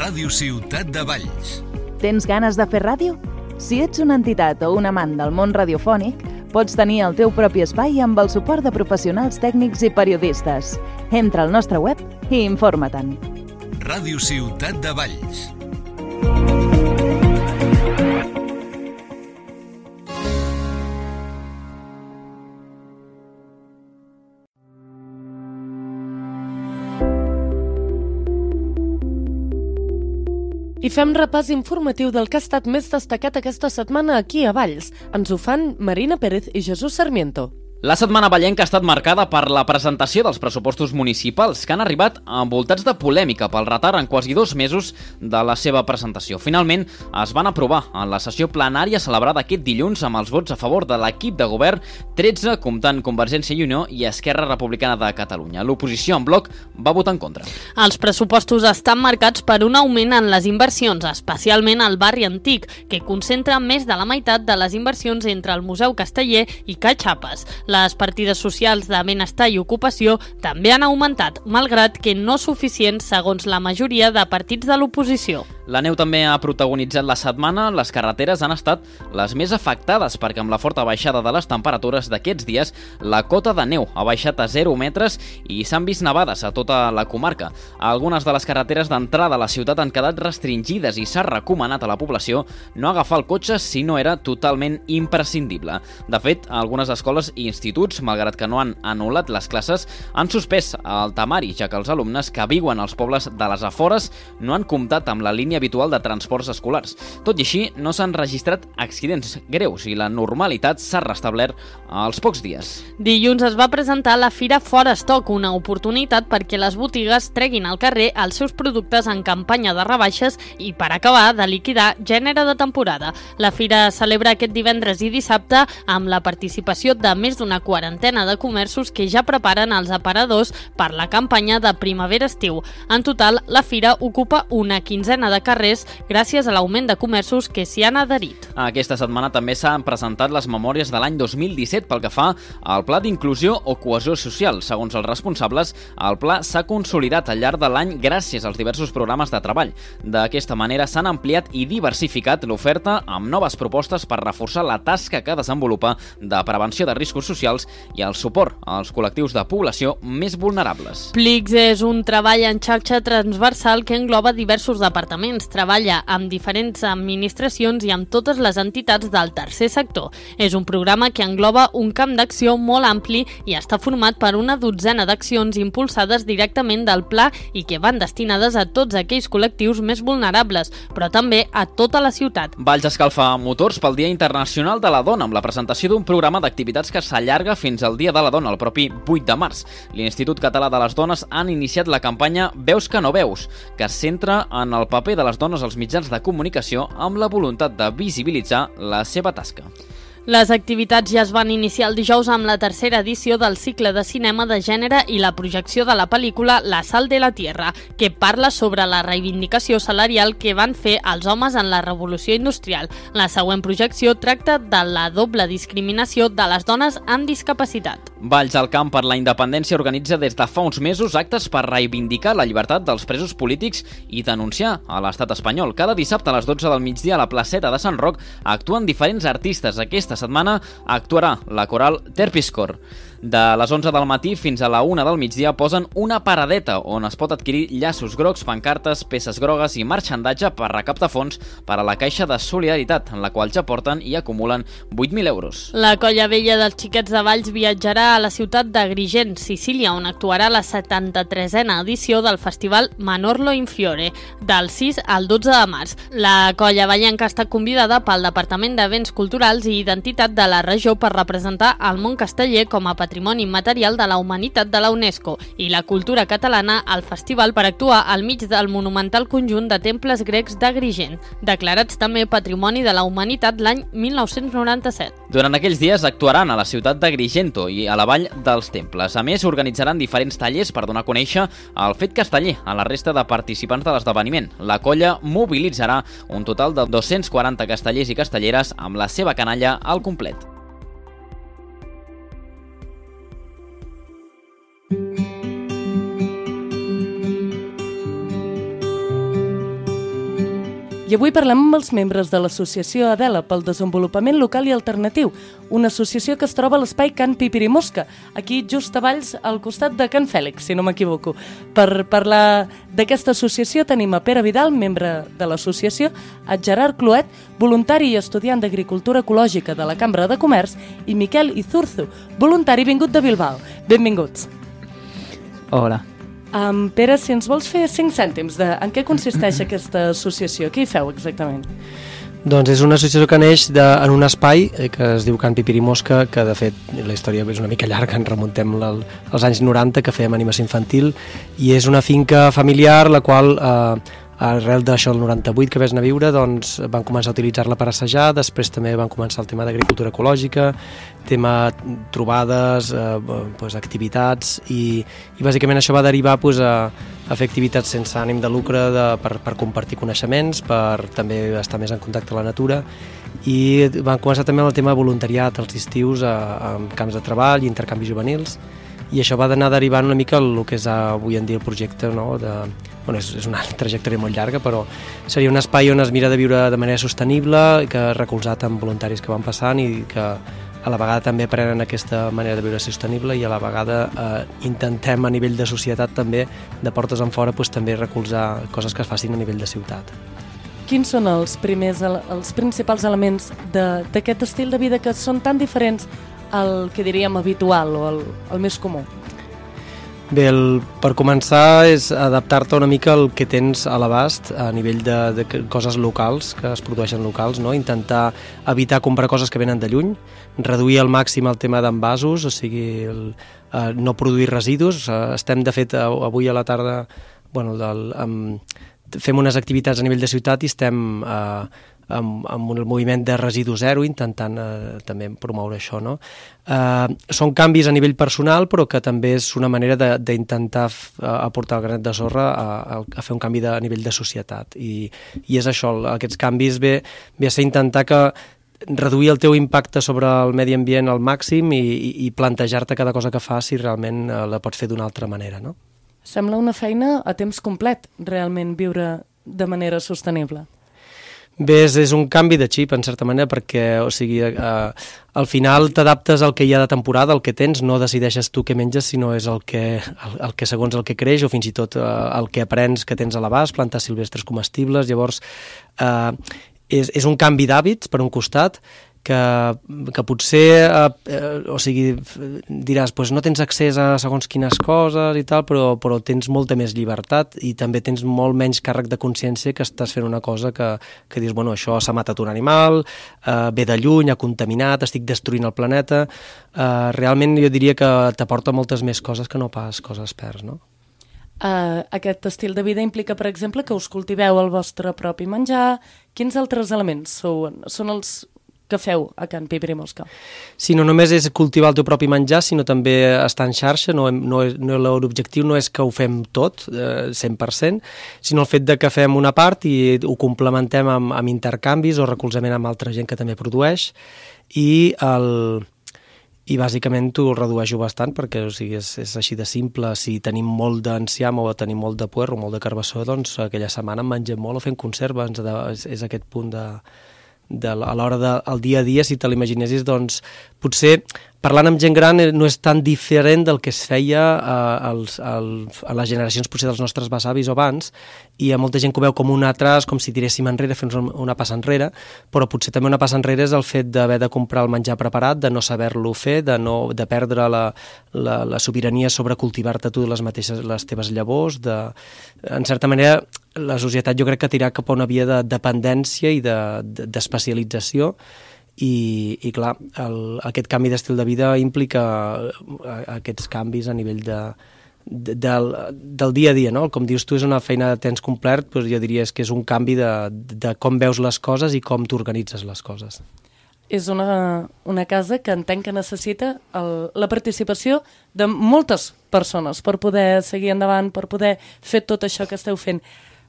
[SPEAKER 1] Ràdio Ciutat de Valls.
[SPEAKER 8] Tens ganes de fer ràdio? Si ets una entitat o un amant del món radiofònic, pots tenir el teu propi espai amb el suport de professionals tècnics i periodistes. Entra al nostre web i informa-te'n.
[SPEAKER 1] Ràdio Ciutat de Valls.
[SPEAKER 2] I fem repàs informatiu del que ha estat més destacat aquesta setmana aquí a Valls. Ens ho fan Marina Pérez i Jesús Sarmiento.
[SPEAKER 9] La setmana vallenca ha estat marcada per la presentació dels pressupostos municipals, que han arribat envoltats de polèmica pel retard en quasi dos mesos de la seva presentació. Finalment, es van aprovar en la sessió plenària celebrada aquest dilluns amb els vots a favor de l'equip de govern, tretze comptant Convergència i Unió i Esquerra Republicana de Catalunya. L'oposició en bloc va votar en contra.
[SPEAKER 10] Els pressupostos estan marcats per un augment en les inversions, especialment al barri antic, que concentra més de la meitat de les inversions entre el Museu Casteller i Catxapes. Les partides socials de benestar i ocupació també han augmentat, malgrat que no suficients segons la majoria de partits de l'oposició.
[SPEAKER 9] La neu també ha protagonitzat la setmana. Les carreteres han estat les més afectades perquè amb la forta baixada de les temperatures d'aquests dies la cota de neu ha baixat a zero metres i s'han vist nevades a tota la comarca. Algunes de les carreteres d'entrada a la ciutat han quedat restringides i s'ha recomanat a la població no agafar el cotxe si no era totalment imprescindible. De fet, algunes escoles i instituts, malgrat que no han anul·lat les classes, han suspès el temari, ja que els alumnes que viuen als pobles de les afores no han comptat amb la línia habitual de transports escolars. Tot i així, no s'han registrat accidents greus i la normalitat s'ha restablert als pocs dies.
[SPEAKER 10] Dilluns es va presentar la Fira Fora Estoc, una oportunitat perquè les botigues treguin al carrer els seus productes en campanya de rebaixes i per acabar de liquidar gènere de temporada. La Fira celebra aquest divendres i dissabte amb la participació de més d'una quarantena de comerços que ja preparen els aparadors per la campanya de primavera-estiu. En total, la Fira ocupa una quinzena de carrers gràcies a l'augment de comerços que s'hi han adherit.
[SPEAKER 9] Aquesta setmana també s'han presentat les memòries de l'any dos mil disset pel que fa al Pla d'Inclusió o Cohesió Social. Segons els responsables, el pla s'ha consolidat al llarg de l'any gràcies als diversos programes de treball. D'aquesta manera s'han ampliat i diversificat l'oferta amb noves propostes per reforçar la tasca que desenvolupa de prevenció de riscos socials i el suport als col·lectius de població més vulnerables.
[SPEAKER 10] Plics és un treball en xarxa transversal que engloba diversos departaments. Treballa amb diferents administracions i amb totes les entitats del tercer sector. És un programa que engloba un camp d'acció molt ampli i està format per una dotzena d'accions impulsades directament del pla i que van destinades a tots aquells col·lectius més vulnerables, però també a tota la ciutat.
[SPEAKER 9] Valls escalfa motors pel Dia Internacional de la Dona amb la presentació d'un programa d'activitats que s'allarga fins al Dia de la Dona, el propi vuit de març. L'Institut Català de les Dones han iniciat la campanya Veus que no veus, que es centra en el paper de les dones als mitjans de comunicació amb la voluntat de visibilitzar la seva tasca.
[SPEAKER 10] Les activitats ja es van iniciar el dijous amb la tercera edició del cicle de cinema de gènere i la projecció de la pel·lícula La sal de la tierra, que parla sobre la reivindicació salarial que van fer els homes en la revolució industrial. La següent projecció tracta de la doble discriminació de les dones amb discapacitat.
[SPEAKER 9] Valls al Camp per la Independència organitza des de fa uns mesos actes per reivindicar la llibertat dels presos polítics i denunciar a l'estat espanyol. Cada dissabte a les dotze del migdia a la placeta de Sant Roc actuen diferents artistes. Aquesta setmana actuarà la coral Terpiscor. De les onze del matí fins a la una del migdia posen una paradeta on es pot adquirir llaços grocs, pancartes, peces grogues i marxandatge per recaptar fons per a la Caixa de Solidaritat, en la qual ja porten i acumulen vuit mil euros.
[SPEAKER 10] La Colla Vella dels Xiquets de Valls viatjarà a la ciutat d'Agrigent, Sicília, on actuarà la setanta-tresena edició del festival Manorlo in Fiore, del sis al dotze de març. La colla vallenca està convidada pel Departament d'Events Culturals i Identitat de la regió per representar el món casteller com a patrimoni immaterial de la humanitat de la UNESCO i la cultura catalana al festival per actuar al mig del monumental conjunt de temples grecs d'Agrigent, declarats també Patrimoni de la Humanitat l'any mil nou-cents noranta-set.
[SPEAKER 9] Durant aquells dies actuaran a la ciutat d'Agrigento i a la Vall dels Temples. A més, organitzaran diferents tallers per donar a conèixer el fet casteller a la resta de participants de l'esdeveniment. La colla mobilitzarà un total de dos-cents quaranta castellers i castelleres amb la seva canalla al complet.
[SPEAKER 2] I avui parlem amb els membres de l'associació Adela pel desenvolupament local i alternatiu, una associació que es troba a l'espai Can Pipirimosca, aquí just a Valls, al costat de Can Fèlix, si no m'equivoco. Per parlar d'aquesta associació tenim a Pere Vidal, membre de l'associació, a Gerard Cloet, voluntari i estudiant d'Agricultura Ecològica de la Cambra de Comerç, i Miquel Izurzu, voluntari vingut de Bilbao. Benvinguts.
[SPEAKER 11] Hola.
[SPEAKER 2] Um, Pere, si ens vols fer cinc cèntims de en què consisteix aquesta associació, què hi feu exactament?
[SPEAKER 11] Doncs és una associació que neix de, en un espai eh, que es diu Can Pipirimosca, que de fet la història és una mica llarga, en remuntem la, als anys noranta, que fèiem animació infantil, i és una finca familiar la qual eh, arrel d'això del noranta-vuit que vés anar a viure, doncs van començar a utilitzar-la per assajar, després també van començar el tema d'agricultura ecològica, tema trobades, eh, pues, activitats, i, i bàsicament això va derivar pues, a, a fer activitats sense ànim de lucre de, per, per compartir coneixements, per també estar més en contacte amb la natura, i van començar també amb el tema de voluntariat als estius a, a camps de treball i intercanvis juvenils, i això va anar derivant una mica el que és avui en dia el projecte, no? de, bueno, és, és una trajectòria molt llarga, però seria un espai on es mira de viure de manera sostenible, que recolzat amb voluntaris que van passant i que a la vegada també aprenen aquesta manera de viure sostenible, i a la vegada eh, intentem a nivell de societat també, de portes en fora, pues, també recolzar coses que es facin a nivell de ciutat.
[SPEAKER 2] Quins són els primers, els principals elements d'aquest estil de vida que són tan diferents al que diríem habitual o el, el més comú?
[SPEAKER 11] Bé, el, per començar és adaptar-te una mica al que tens a l'abast a nivell de, de coses locals, que es produeixen locals, no? Intentar evitar comprar coses que venen de lluny, reduir al màxim el tema d'envasos, o sigui, el, eh, no produir residus. Eh, estem, de fet, avui a la tarda, bueno, del, um, fem unes activitats a nivell de ciutat i estem eh, amb, amb un moviment de residu zero, intentant eh, també promoure això, no? Eh, són canvis a nivell personal, però que també és una manera d'intentar aportar el granet de sorra a, a, a fer un canvi de, a nivell de societat, i, i és això, aquests canvis ve, ve a ser intentar que reduir el teu impacte sobre el medi ambient al màxim i, i, i plantejar-te cada cosa que fas si realment eh, la pots fer d'una altra manera, no?
[SPEAKER 2] Sembla una feina a temps complet, realment, viure de manera sostenible.
[SPEAKER 11] Bé, és, és un canvi de xip, en certa manera, perquè o sigui, eh, al final t'adaptes al que hi ha de temporada, el que tens, no decideixes tu què menges, sinó és el que, el, el que segons el que creix, o fins i tot eh, el que aprens que tens a l'abast, plantes silvestres comestibles. Llavors, eh, és, és un canvi d'hàbits, per un costat, que, que potser eh, o sigui, diràs, pues no tens accés a segons quines coses i tal, però, però tens molta més llibertat i també tens molt menys càrrec de consciència que estàs fent una cosa que, que dius, bueno, això s'ha matat un animal, eh, ve de lluny, ha contaminat, estic destruint el planeta. Eh, realment jo diria que t'aporta moltes més coses que no pas coses perds, no?
[SPEAKER 2] Uh, aquest estil de vida implica, per exemple, que us cultiveu el vostre propi menjar. Quins altres elements són, són els que feu a Can Pipirimosca?
[SPEAKER 11] Sí, no només és cultivar el teu propi menjar, sinó també estar en xarxa. No, no, no, l'objectiu no és que ho fem tot, eh, cent per cent, sinó el fet de que fem una part i ho complementem amb, amb intercanvis o recolzament amb altra gent que també produeix, i el... i bàsicament ho redueixo bastant perquè o sigui, és, és així de simple. Si tenim molt d'enciam o tenim molt de puerro o molt de carbassó, doncs aquella setmana en mengem molt o fem conserva. És, és aquest punt de, de, a l'hora del dia a dia, si te l'imaginessis, doncs potser parlant amb gent gran no és tan diferent del que es feia a, als, als, a les generacions potser dels nostres besavis o abans, i hi ha molta gent que ho veu com un atras, com si tiréssim enrere, fent una passa enrere, però potser també una passa enrere és el fet d'haver de comprar el menjar preparat, de no saber-lo fer, de, no, de perdre la, la, la sobirania sobre cultivar-te tu les mateixes les teves llavors, de, en certa manera la societat jo crec que tirar cap a una via de dependència i d'especialització, de, de, I, i clar, el, aquest canvi d'estil de vida implica aquests canvis a nivell de, de, del, del dia a dia, no? Com dius tu, és una feina de temps complet, però jo diria que és un canvi de, de com veus les coses i com t'organitzes les coses.
[SPEAKER 2] És una, una casa que entenc que necessita el, la participació de moltes persones per poder seguir endavant, per poder fer tot això que esteu fent.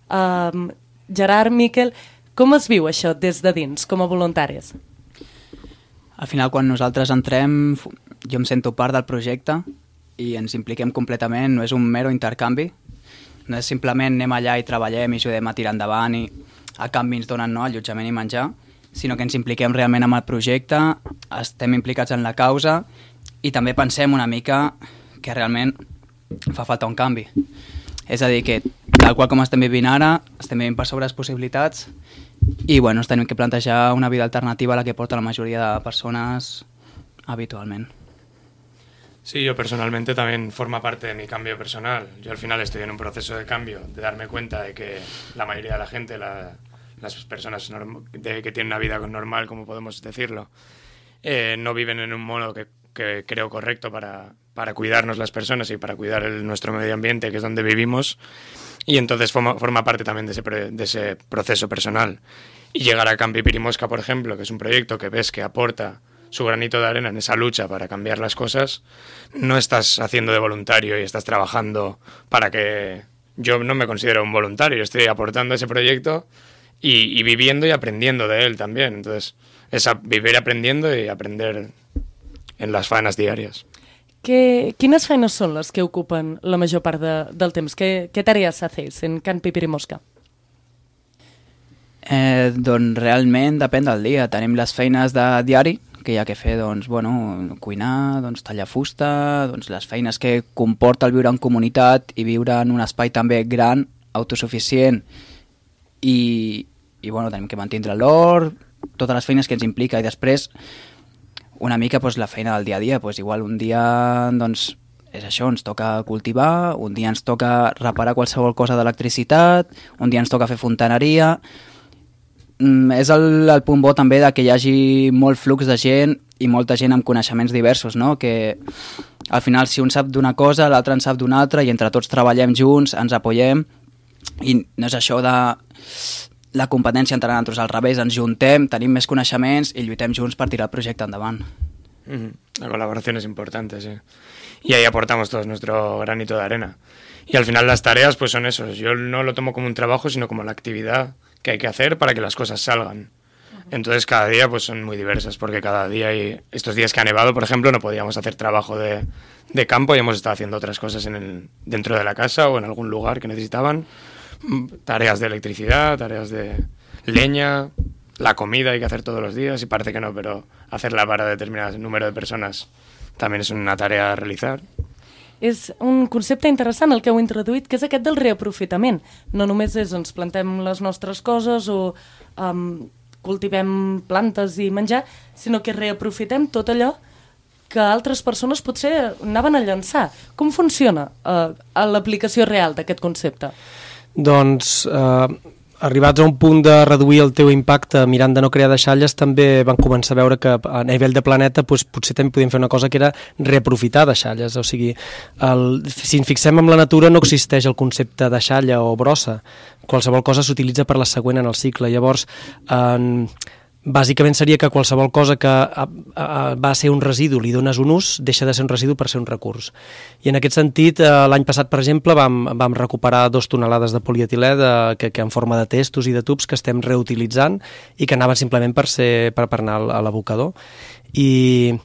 [SPEAKER 2] Um, Gerard, Miquel, com es viu això des de dins, com a voluntaris?
[SPEAKER 12] Al final, quan nosaltres entrem, jo em sento part del projecte i ens impliquem completament, no és un mero intercanvi, no és simplement anem allà i treballem i ajudem a tirar endavant i a canvi ens donen no, allotjament i menjar, sinó que ens impliquem realment amb el projecte, estem implicats en la causa i també pensem una mica que realment fa falta un canvi. És a dir, que tal qual com estem vivint ara, estem vivint per sobre les possibilitats i bueno, ens tenim que plantejar una vida alternativa a la que porta la mayoría de personas habitualmente.
[SPEAKER 13] Sí, yo personalmente también forma parte de mi cambio personal. Yo al final estoy en un proceso de cambio, de darme cuenta de que la mayoría de la gente, la, las personas de, que tienen una vida normal, como podemos decirlo, eh, no viven en un modo que, que creo correcto para, para cuidarnos las personas y para cuidar el, nuestro medio ambiente, que es donde vivimos. Y entonces forma, forma parte también de ese, de ese proceso personal. Y llegar a Campi Pirimosca, por ejemplo, que es un proyecto que ves que aporta su granito de arena en esa lucha para cambiar las cosas, no estás haciendo de voluntario y estás trabajando para que... Yo no me considero un voluntario, estoy aportando a ese proyecto y, y viviendo y aprendiendo de él también. Entonces, es a vivir aprendiendo y aprender en las faenas diarias.
[SPEAKER 2] Que, quines feines són les que ocupen la major part de, del temps? Què, què tarees hacéis en Campi Pirimosca?
[SPEAKER 12] Eh, doncs realment depèn del dia. Tenim les feines de diari, que hi ha que fer, doncs, bueno, cuinar, doncs, tallar fusta, doncs, les feines que comporta el viure en comunitat i viure en un espai també gran, autosuficient, i, i bueno, tenim que mantindre l'or, totes les feines que ens implica, i després una mica doncs, la feina del dia a dia, doncs, igual un dia doncs, és això, ens toca cultivar, un dia ens toca reparar qualsevol cosa d'electricitat, un dia ens toca fer fontaneria. Mm, és el, el punt bo també de que hi hagi molt flux de gent i molta gent amb coneixements diversos, no? Que al final si un sap d'una cosa, l'altre en sap d'una altra i entre tots treballem junts, ens apoyem i no és això de la competència entre nosaltres, al revés, ens juntem, tenim més coneixements i lluitem junts per tirar el projecte endavant.
[SPEAKER 13] Mm-hmm. La colaboración es importante, sí. Y ahí aportamos todos nuestro granito de arena. Y al final las tareas pues son esos. Yo no lo tomo como un trabajo, sino como la actividad que hay que hacer para que las cosas salgan. Entonces cada día pues son muy diversas, porque cada día, hay estos días que ha nevado, por ejemplo, no podíamos hacer trabajo de, de campo y hemos estado haciendo otras cosas en el, dentro de la casa o en algún lugar que necesitaban. Tareas de electricidad, tareas de leña, la comida hay que hacer todos los días y parece que no, pero hacerla para determinado número de personas también es una tarea a realizar.
[SPEAKER 2] És un concepte interessant el que heu introduït, que és aquest del reaprofitament. No només és ens plantem les nostres coses o um, cultivem plantes i menjar, sinó que reaprofitem tot allò que altres persones potser anaven a llançar. Com funciona uh, l'aplicació real d'aquest concepte?
[SPEAKER 11] Doncs, eh, arribats a un punt de reduir el teu impacte mirant de no crear deixalles, també van començar a veure que a nivell de planeta doncs, potser també podíem fer una cosa que era reaprofitar deixalles. O sigui, el, si ens fixem en la natura no existeix el concepte deixalla o brossa. Qualsevol cosa s'utilitza per la següent en el cicle. Llavors, en... bàsicament seria que qualsevol cosa que a, a, va ser un residu li dones un ús, deixa de ser un residu per ser un recurs. I en aquest sentit, eh, l'any passat, per exemple, vam, vam recuperar dos tonelades de polietilè de, que, que en forma de testos i de tubs que estem reutilitzant i que anaven simplement per, ser, per, per anar a l'abocador. I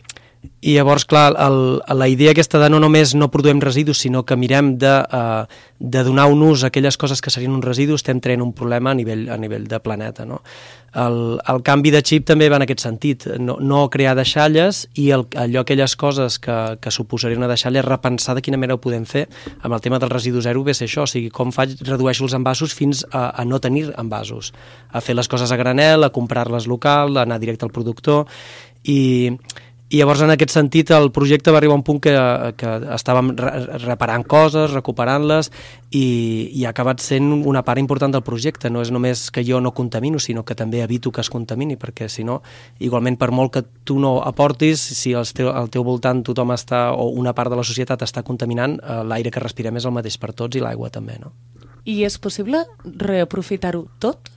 [SPEAKER 11] I llavors, clar, el, la idea aquesta de no només no produïm residus, sinó que mirem de, uh, de donar un ús a aquelles coses que serien un residu, estem traient un problema a nivell, a nivell de planeta, no? El, el canvi de xip també va en aquest sentit, no, no crear deixalles i el, allò, aquelles coses que, que suposaria una deixalla, repensar de quina manera ho podem fer. Amb el tema del residu zero ve ser això, o sigui, com faig, redueixo els envasos fins a, a no tenir envasos, a fer les coses a granel, a comprar-les local, a anar directe al productor, i... I llavors, en aquest sentit, el projecte va arribar a un punt que, que estàvem reparant coses, recuperant-les, i, i ha acabat sent una part important del projecte. No és només que jo no contamino, sinó que també evito que es contamini, perquè si no, igualment, per molt que tu no aportis, si al teu, al teu voltant tothom està, o una part de la societat està contaminant, l'aire que respirem és el mateix per tots i l'aigua també, no?
[SPEAKER 2] I és possible reaprofitar-ho tot?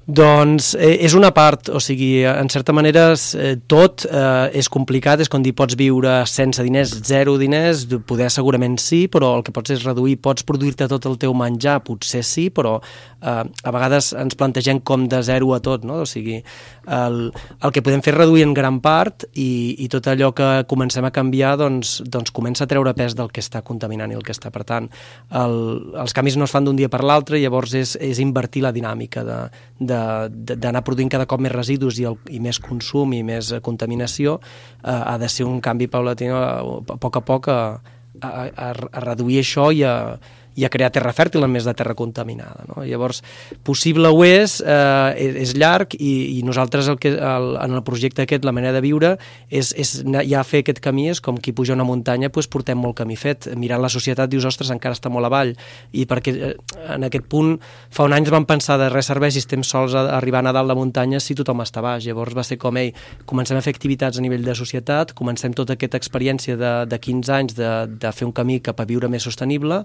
[SPEAKER 11] Doncs eh, és una part, o sigui, en certa manera eh, tot eh, és complicat, és com dir, pots viure sense diners, zero diners, poder segurament sí, però el que pots és reduir, pots produir-te tot el teu menjar, potser sí, però eh, a vegades ens plantegem com de zero a tot, no? O sigui, el, el que podem fer és reduir en gran part i, i tot allò que comencem a canviar doncs, doncs comença a treure pes del que està contaminant i el que està. Per tant, el, els canvis no es fan d'un dia per l'altre, llavors és, és invertir la dinàmica de, de d'anar produint cada cop més residus i, el, i més consum i més contaminació, eh, ha de ser un canvi paulatí a, a poc a poc a, a, a, a reduir això i a, i a crear terra fèrtil en més de terra contaminada, no? Llavors, possible ho és, eh, és llarg i, i nosaltres el que, el, en el projecte aquest, la manera de viure, és, és ja fer aquest camí, és com qui puja una muntanya, doncs portem molt camí fet. Mirant la societat dius, ostres, encara està molt avall, i perquè eh, en aquest punt, fa un any vam pensar de res serveix si estem sols a, a arribar a dalt la muntanya si tothom està baix. Llavors va ser com, ei, comencem a fer activitats a nivell de societat, comencem tota aquesta experiència de, de quinze anys de, de fer un camí cap a viure més sostenible,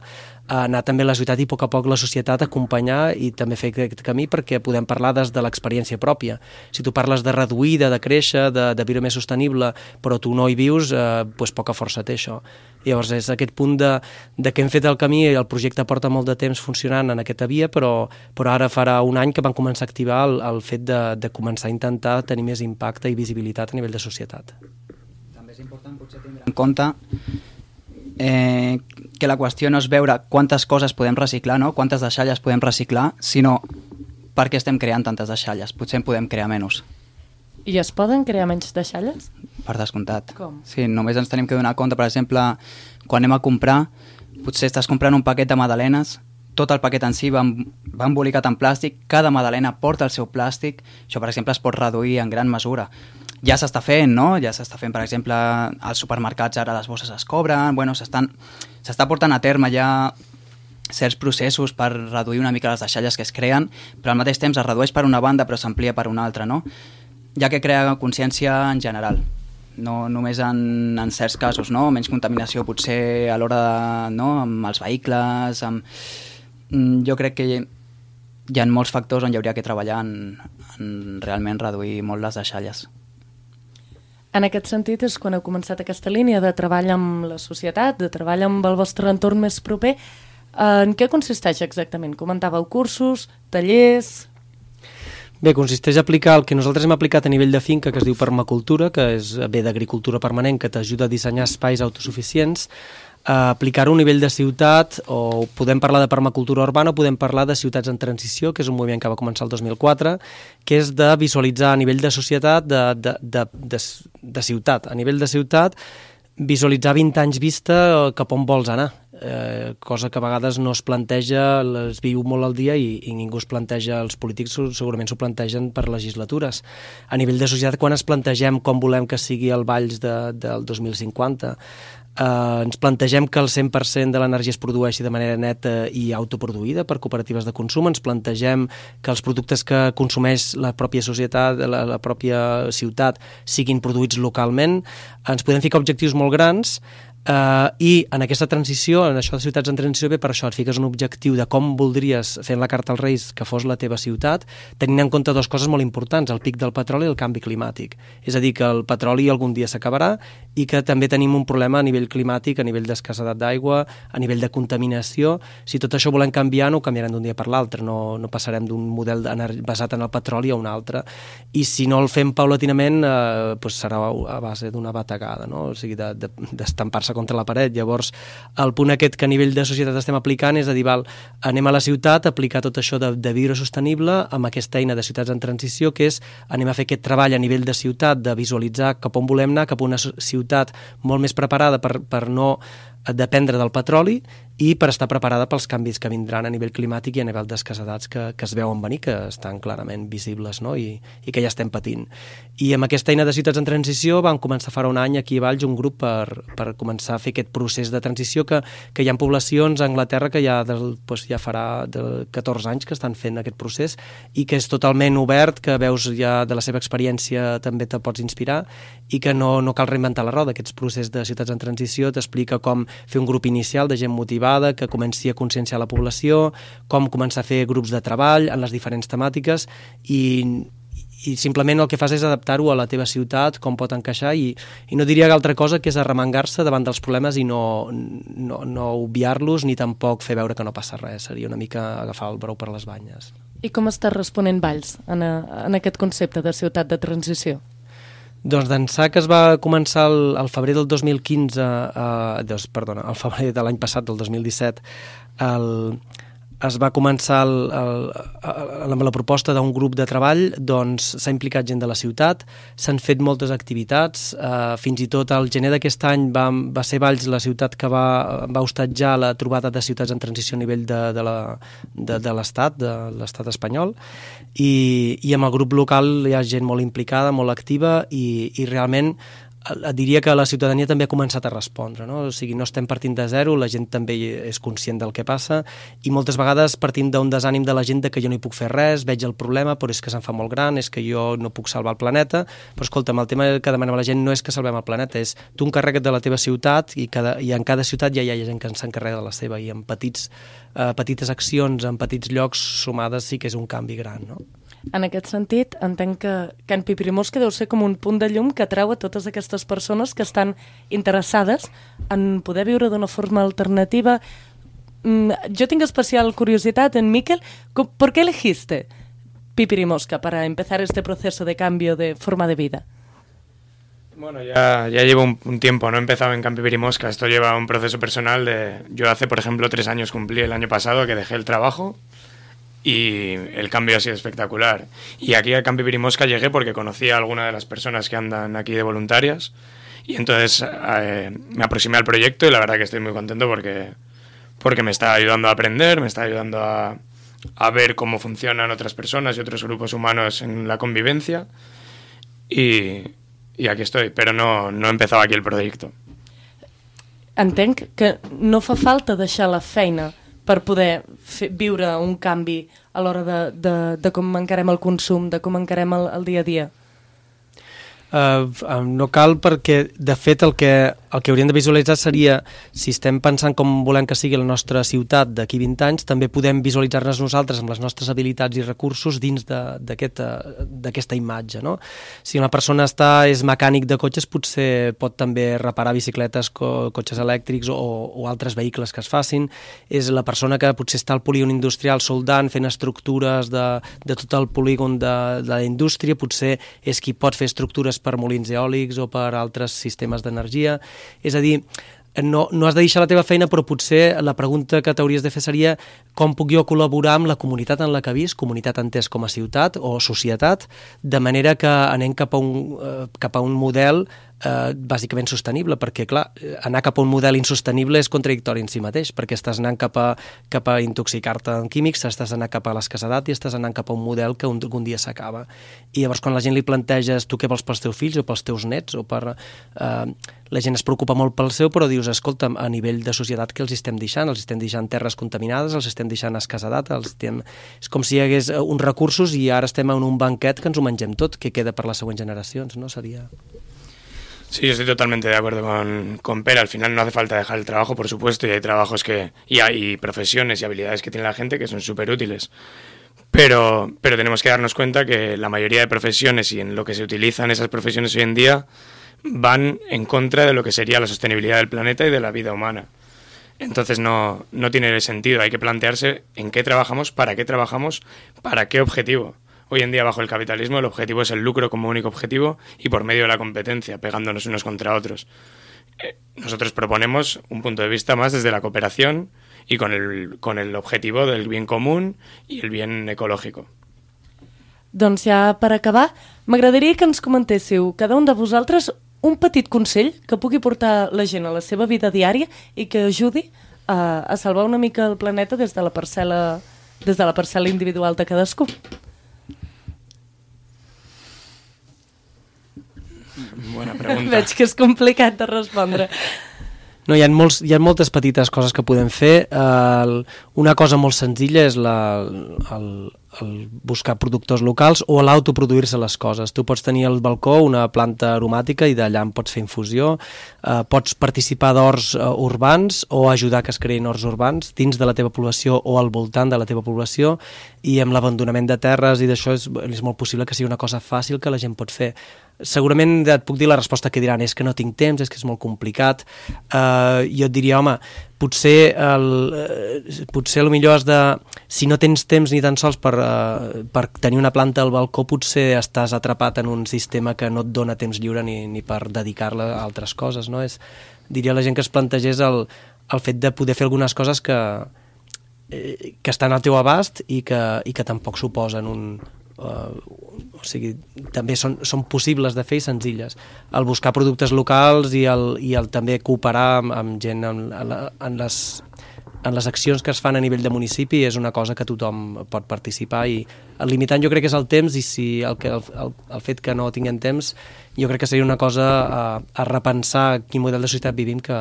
[SPEAKER 11] a anar també a la ciutat i a poc a poc la societat acompanyar i també fer aquest camí perquè podem parlar des de l'experiència pròpia. Si tu parles de reduir, de, de créixer, de, de viure més sostenible, però tu no hi vius, eh, doncs poca força té això. Llavors és aquest punt de, de que hem fet el camí i el projecte porta molt de temps funcionant en aquesta via, però, però ara farà un any que van començar a activar el, el fet de, de començar a intentar tenir més impacte i visibilitat a nivell de societat.
[SPEAKER 12] També és important potser tindre en compte eh, que la qüestió no és veure quantes coses podem reciclar, no? Quantes deixalles podem reciclar, sinó per què estem creant tantes deixalles. Potser en podem crear menys.
[SPEAKER 2] I es poden crear menys deixalles?
[SPEAKER 12] Per descomptat.
[SPEAKER 2] Com?
[SPEAKER 12] Sí, només ens tenim que donar compte, per exemple, quan anem a comprar, potser estàs comprant un paquet de magdalenes, tot el paquet en si va, va embolicat en plàstic, cada magdalena porta el seu plàstic, això per exemple es pot reduir en gran mesura. Ja s'està fent, no? Ja s'està fent, per exemple, als supermercats ara les bosses es cobren, bueno, s'estan, s'està portant a terme ja certs processos per reduir una mica les deixalles que es creen, però al mateix temps es redueix per una banda però s'amplia per una altra, no? Ja que crea consciència en general, no només en, en certs casos, no? Menys contaminació potser a l'hora de, no? Amb els vehicles, amb... Jo crec que hi ha molts factors on hi hauria que treballar en, en realment reduir molt les deixalles.
[SPEAKER 2] En aquest sentit és quan heu començat aquesta línia de treball amb la societat, de treball amb el vostre entorn més proper. En què consisteix exactament? Comentàveu cursos, tallers...
[SPEAKER 11] Bé, consisteix a aplicar el que nosaltres hem aplicat a nivell de finca, que es diu permacultura, que és bé d'agricultura permanent, que t'ajuda a dissenyar espais autosuficients, a aplicar-ho a nivell de ciutat, o podem parlar de permacultura urbana o podem parlar de ciutats en transició, que és un moviment que va començar el dos mil quatre, que és de visualitzar a nivell de societat, de, de, de, de, de ciutat. A nivell de ciutat, visualitzar vint anys vista cap on vols anar, eh, cosa que a vegades no es planteja, es viu molt al dia i, i ningú es planteja, els polítics segurament s'ho plantegen per legislatures. A nivell de societat, quan es plantegem com volem que sigui el Valls de, del dos mil cinquanta, Uh, ens plantegem que el cent per cent de l'energia es produeixi de manera neta i autoproduïda per cooperatives de consum, ens plantegem que els productes que consumeix la pròpia societat, la, la pròpia ciutat, siguin produïts localment, ens podem ficar objectius molt grans, Uh, i en aquesta transició, en això de ciutats en transició, ve per això, et fiques un objectiu de com voldries, fent la carta als Reis, que fos la teva ciutat, tenint en compte dues coses molt importants, el pic del petroli i el canvi climàtic. És a dir, que el petroli algun dia s'acabarà i que també tenim un problema a nivell climàtic, a nivell d'escassedat d'aigua, a nivell de contaminació. Si tot això volem canviar, no ho canviarem d'un dia per l'altre, no, no passarem d'un model basat en el petroli a un altre. I si no el fem paulatinament, eh, doncs serà a base d'una bategada, no? O sigui, d'estampar-se contra la paret. Llavors, el punt aquest que a nivell de societat estem aplicant és a dir, val, anem a la ciutat a aplicar tot això de, de viure sostenible amb aquesta eina de ciutats en transició, que és anem a fer aquest treball a nivell de ciutat, de visualitzar cap on volem anar, cap a una ciutat molt més preparada per, per no dependre del petroli i per estar preparada pels canvis que vindran a nivell climàtic i a nivell d'escassedats que, que es veuen venir, que estan clarament visibles, no? I, i que ja estem patint. I amb aquesta eina de ciutats en transició vam començar farà un any aquí a Valls un grup per, per començar a fer aquest procés de transició que, que hi ha poblacions a Anglaterra que ja, del, doncs ja farà de catorze anys que estan fent aquest procés i que és totalment obert, que veus ja de la seva experiència també te pots inspirar i que no, no cal reinventar la roda. Aquests processos de ciutats en transició t'explica com fer un grup inicial de gent motivada que comenci a conscienciar la població, com començar a fer grups de treball en les diferents temàtiques i, i simplement el que fas és adaptar-ho a la teva ciutat, com pot encaixar i, i no diria altra cosa que és arremangar-se davant dels problemes i no, no, no obviar-los ni tampoc fer veure que no passa res. Seria una mica agafar el brou per les banyes.
[SPEAKER 2] I com està responent Valls en, a, en aquest concepte de ciutat de transició?
[SPEAKER 11] Doncs d'ençà que es va començar el, el febrer del dos mil quinze, eh, doncs, perdona, el febrer de l'any passat, del dos mil disset, el, es va començar el, el, el, amb la proposta d'un grup de treball, doncs s'ha implicat gent de la ciutat, s'han fet moltes activitats, eh, fins i tot al gener d'aquest any va, va ser Valls la ciutat que va, va hostatjar la trobada de ciutats en transició a nivell de, de, la, de, de l'Estat, de l'Estat espanyol, i, i amb el grup local hi ha gent molt implicada, molt activa i, i realment et diria que la ciutadania també ha començat a respondre, no? O sigui, no estem partint de zero, la gent també és conscient del que passa i moltes vegades partim d'un desànim de la gent de que jo no hi puc fer res, veig el problema, però és que se'n fa molt gran, és que jo no puc salvar el planeta, però escolta'm, el tema que demanem a la gent no és que salvem el planeta, és tu encarrega't de la teva ciutat i, cada, i en cada ciutat ja hi ha gent que s'encarrega de la seva i amb petits, eh, petites accions, en petits llocs sumades sí que és un canvi gran, no?
[SPEAKER 2] En aquest sentit, entenc que Can Piprimosca deu ser com un punt de llum que atrau a totes aquestes persones que estan interessades en poder viure d'una forma alternativa. Jo tinc especial curiositat en Miquel. ¿Por qué elegiste Piprimosca para empezar este proceso de cambio de forma de vida?
[SPEAKER 13] Bueno, ya, ya llevo un, un tiempo, no he empezado en Can Piprimosca, esto lleva un proceso personal de... Yo hace, por ejemplo, tres años cumplí el año pasado que dejé el trabajo y el cambio ha sido espectacular. Y aquí a Can Piprimosca llegué porque conocí a alguna de las personas que andan aquí de voluntarias y entonces eh, me aproximé al proyecto y la verdad que estoy muy contento porque, porque me está ayudando a aprender, me está ayudando a, a ver cómo funcionan otras personas y otros grupos humanos en la convivencia y, y aquí estoy, pero no, no he empezado aquí el proyecto.
[SPEAKER 2] Entenc que no fa falta deixar la feina per poder fer, viure un canvi a l'hora de, de, de com encarem el consum, de com encarem el, el dia a dia?
[SPEAKER 11] Uh, no cal perquè, de fet, el que, el que hauríem de visualitzar seria, si estem pensant com volem que sigui la nostra ciutat d'aquí vint anys, també podem visualitzar-nos nosaltres amb les nostres habilitats i recursos dins d'aquesta aquest, imatge, no? Si una persona està, és mecànic de cotxes, potser pot també reparar bicicletes, co, cotxes elèctrics o, o altres vehicles que es facin. És la persona que potser està al polígon industrial soldant, fent estructures de, de tot el polígon de, de la indústria, potser és qui pot fer estructures per molins eòlics o per altres sistemes d'energia. És a dir, no, no has de deixar la teva feina, però potser la pregunta que t'hauries de fer seria com puc jo col·laborar amb la comunitat en la que visc, comunitat entès com a ciutat o societat, de manera que anem cap a un, cap a un model eh, bàsicament sostenible, perquè clar, anar cap a un model insostenible és contradictori en si mateix, perquè estàs anant cap a, cap a intoxicar-te en químics, estàs anant cap a l'escassedat i estàs anant cap a un model que un, un dia s'acaba. I llavors quan la gent li planteges tu què vols pels teus fills o pels teus nets o per... Eh, la gent es preocupa molt pel seu, però dius, escolta'm, a nivell de societat què els estem deixant? Els estem deixant terres contaminades, els estem deixant escassedat, els estem... és com si hi hagués uns recursos i ara estem en un banquet que ens ho mengem tot, que queda per les següents generacions, no? Seria...
[SPEAKER 13] Sí, yo estoy totalmente de acuerdo con, con Pera. Al final no hace falta dejar el trabajo, por supuesto, y hay trabajos que y hay profesiones y habilidades que tiene la gente que son súper útiles. Pero, pero tenemos que darnos cuenta que la mayoría de profesiones y en lo que se utilizan esas profesiones hoy en día van en contra de lo que sería la sostenibilidad del planeta y de la vida humana. Entonces no, no tiene sentido. Hay que plantearse en qué trabajamos, para qué trabajamos, para qué objetivo. Hoy en día, bajo el capitalismo, el objetivo es el lucro como único objetivo y por medio de la competencia, pegándonos unos contra otros. Eh, nosotros proponemos un punto de vista más desde la cooperación y con el, con el objetivo del bien común i el bien ecològic.
[SPEAKER 2] Doncs ja per acabar, m'agradaria que ens comentéssiu cada un de vosaltres un petit consell que pugui portar la gent a la seva vida diària i que ajudi a, a salvar una mica el planeta des de la parcel·la, des de la parcel·la individual de cadascú.
[SPEAKER 13] Bona pregunta.
[SPEAKER 2] Veig que és complicat de respondre.
[SPEAKER 11] No, hi ha, molts, hi ha moltes petites coses que podem fer. Uh, una cosa molt senzilla és la, el, el buscar productors locals o l'autoproduir-se les coses. Tu pots tenir al balcó una planta aromàtica i d'allà en pots fer infusió, uh, pots participar d'horts uh, urbans o ajudar que es creïn horts urbans dins de la teva població o al voltant de la teva població, i amb l'abandonament de terres i d'això és, és molt possible que sigui una cosa fàcil que la gent pot fer. Segurament et puc dir la resposta que diran és que no tinc temps, és que és molt complicat. Uh, jo et diria, home, potser el, uh, potser el millor és de... Si no tens temps ni tan sols per, uh, per tenir una planta al balcó, potser estàs atrapat en un sistema que no et dona temps lliure ni, ni per dedicar-la a altres coses, no? És, diria a la gent que es plantegés el, el fet de poder fer algunes coses que, eh, que estan al teu abast i que, i que tampoc suposen un... Uh, o sigui, també són, són possibles de fer i senzilles. El buscar productes locals i el, i el també cooperar amb, amb gent en, en, en, les, en les accions que es fan a nivell de municipi és una cosa que tothom pot participar, i el limitant jo crec que és el temps, i si el, que, el, el fet que no tinguem temps jo crec que seria una cosa a, a repensar quin model de societat vivim, que,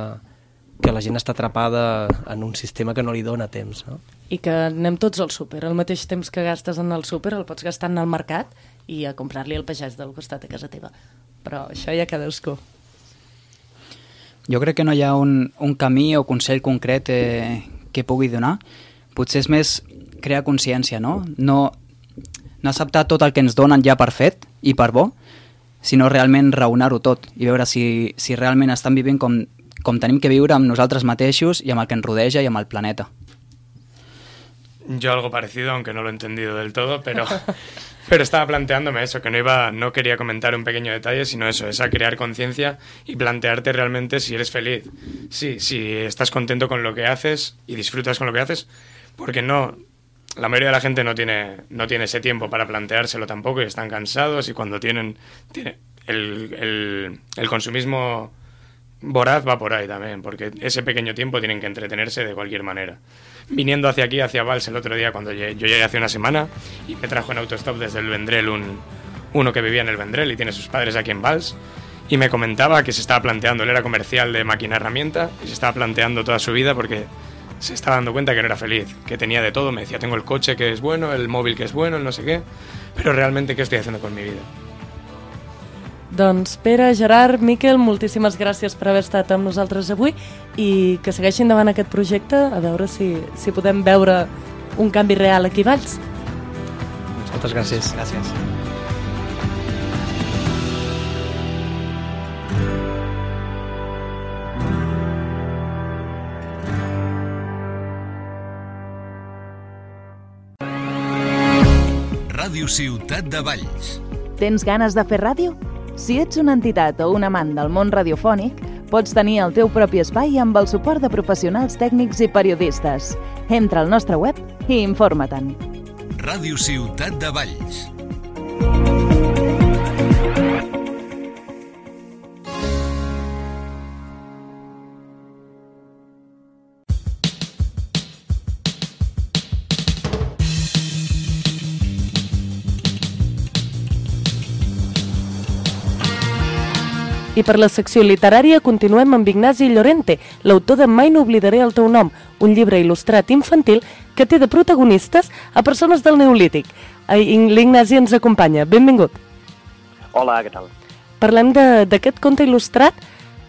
[SPEAKER 11] que la gent està atrapada en un sistema que no li dona temps, no?
[SPEAKER 2] I que anem tots al súper. El mateix temps que gastes en el súper el pots gastar en el mercat i a comprar-li al pagès del costat a casa teva. Però això ja cadascú.
[SPEAKER 12] Jo crec que no hi ha un, un camí o consell concret eh, que pugui donar. Potser és més crear consciència, no? No, no acceptar tot el que ens donen ja per fet i per bo, sinó realment raonar-ho tot i veure si, si realment estan vivint com, com tenim que viure amb nosaltres mateixos i amb el que ens rodeja i amb el planeta.
[SPEAKER 13] Yo algo parecido, aunque no lo he entendido del todo, pero, pero estaba planteándome eso, que no iba, no quería comentar un pequeño detalle, sino eso, es a crear conciencia y plantearte realmente si eres feliz, sí, si estás contento con lo que haces y disfrutas con lo que haces, porque no, la mayoría de la gente no tiene, no tiene ese tiempo para planteárselo tampoco y están cansados, y cuando tienen, tiene, el, el, el consumismo voraz va por ahí también, porque ese pequeño tiempo tienen que entretenerse de cualquier manera. Viniendo hacia aquí, hacia Valls, el otro día, cuando yo llegué hace una semana, y me trajo en autostop desde el Vendrell un, uno que vivía en el Vendrell y tiene sus padres aquí en Valls, y me comentaba que se estaba planteando, él era comercial de máquina herramienta, y se estaba planteando toda su vida porque se estaba dando cuenta que no era feliz, que tenía de todo. Me decía, tengo el coche que es bueno, el móvil que es bueno, el no sé qué, pero realmente, ¿qué estoy haciendo con mi vida?
[SPEAKER 2] Doncs Pere, Gerard, Miquel, moltíssimes gràcies per haver estat amb nosaltres avui i que segueixin endavant aquest projecte, a veure si, si podem veure un canvi real aquí a Valls.
[SPEAKER 11] Moltes gràcies.
[SPEAKER 12] Gràcies.
[SPEAKER 1] Ràdio Ciutat de Valls.
[SPEAKER 8] Tens ganes de fer ràdio? Si ets una entitat o un amant del món radiofònic, pots tenir el teu propi espai amb el suport de professionals tècnics i periodistes. Entra al nostre web i informa-te'n.
[SPEAKER 1] Ràdio Ciutat de Valls.
[SPEAKER 2] I per la secció literària continuem amb Ignasi Llorente, l'autor de Mai no oblidaré el teu nom, un llibre il·lustrat infantil que té de protagonistes a persones del Neolític. L'Ignasi ens acompanya. Benvingut.
[SPEAKER 14] Hola, què tal?
[SPEAKER 2] parlem d'aquest conte il·lustrat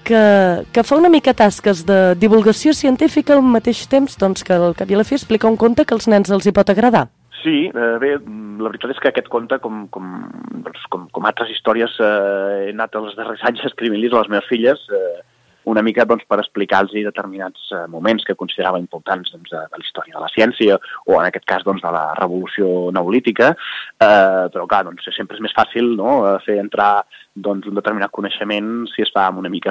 [SPEAKER 2] que, que fa una mica tasques de divulgació científica al mateix temps doncs, que al cap i a la fi explica un conte que als nens els hi pot agradar.
[SPEAKER 14] Sí, eh, bé, la veritat és que aquest conte, com, com, doncs, com, com altres històries, eh, he anat els darrers anys escrivint-los a les meves filles, eh, una mica doncs, per explicar-los determinats eh, moments que considerava importants doncs, de, de la història de la ciència o en aquest cas doncs, de la revolució neolítica, eh, però clar, doncs, sempre és més fàcil no, fer entrar doncs, un determinat coneixement si es fa amb una mica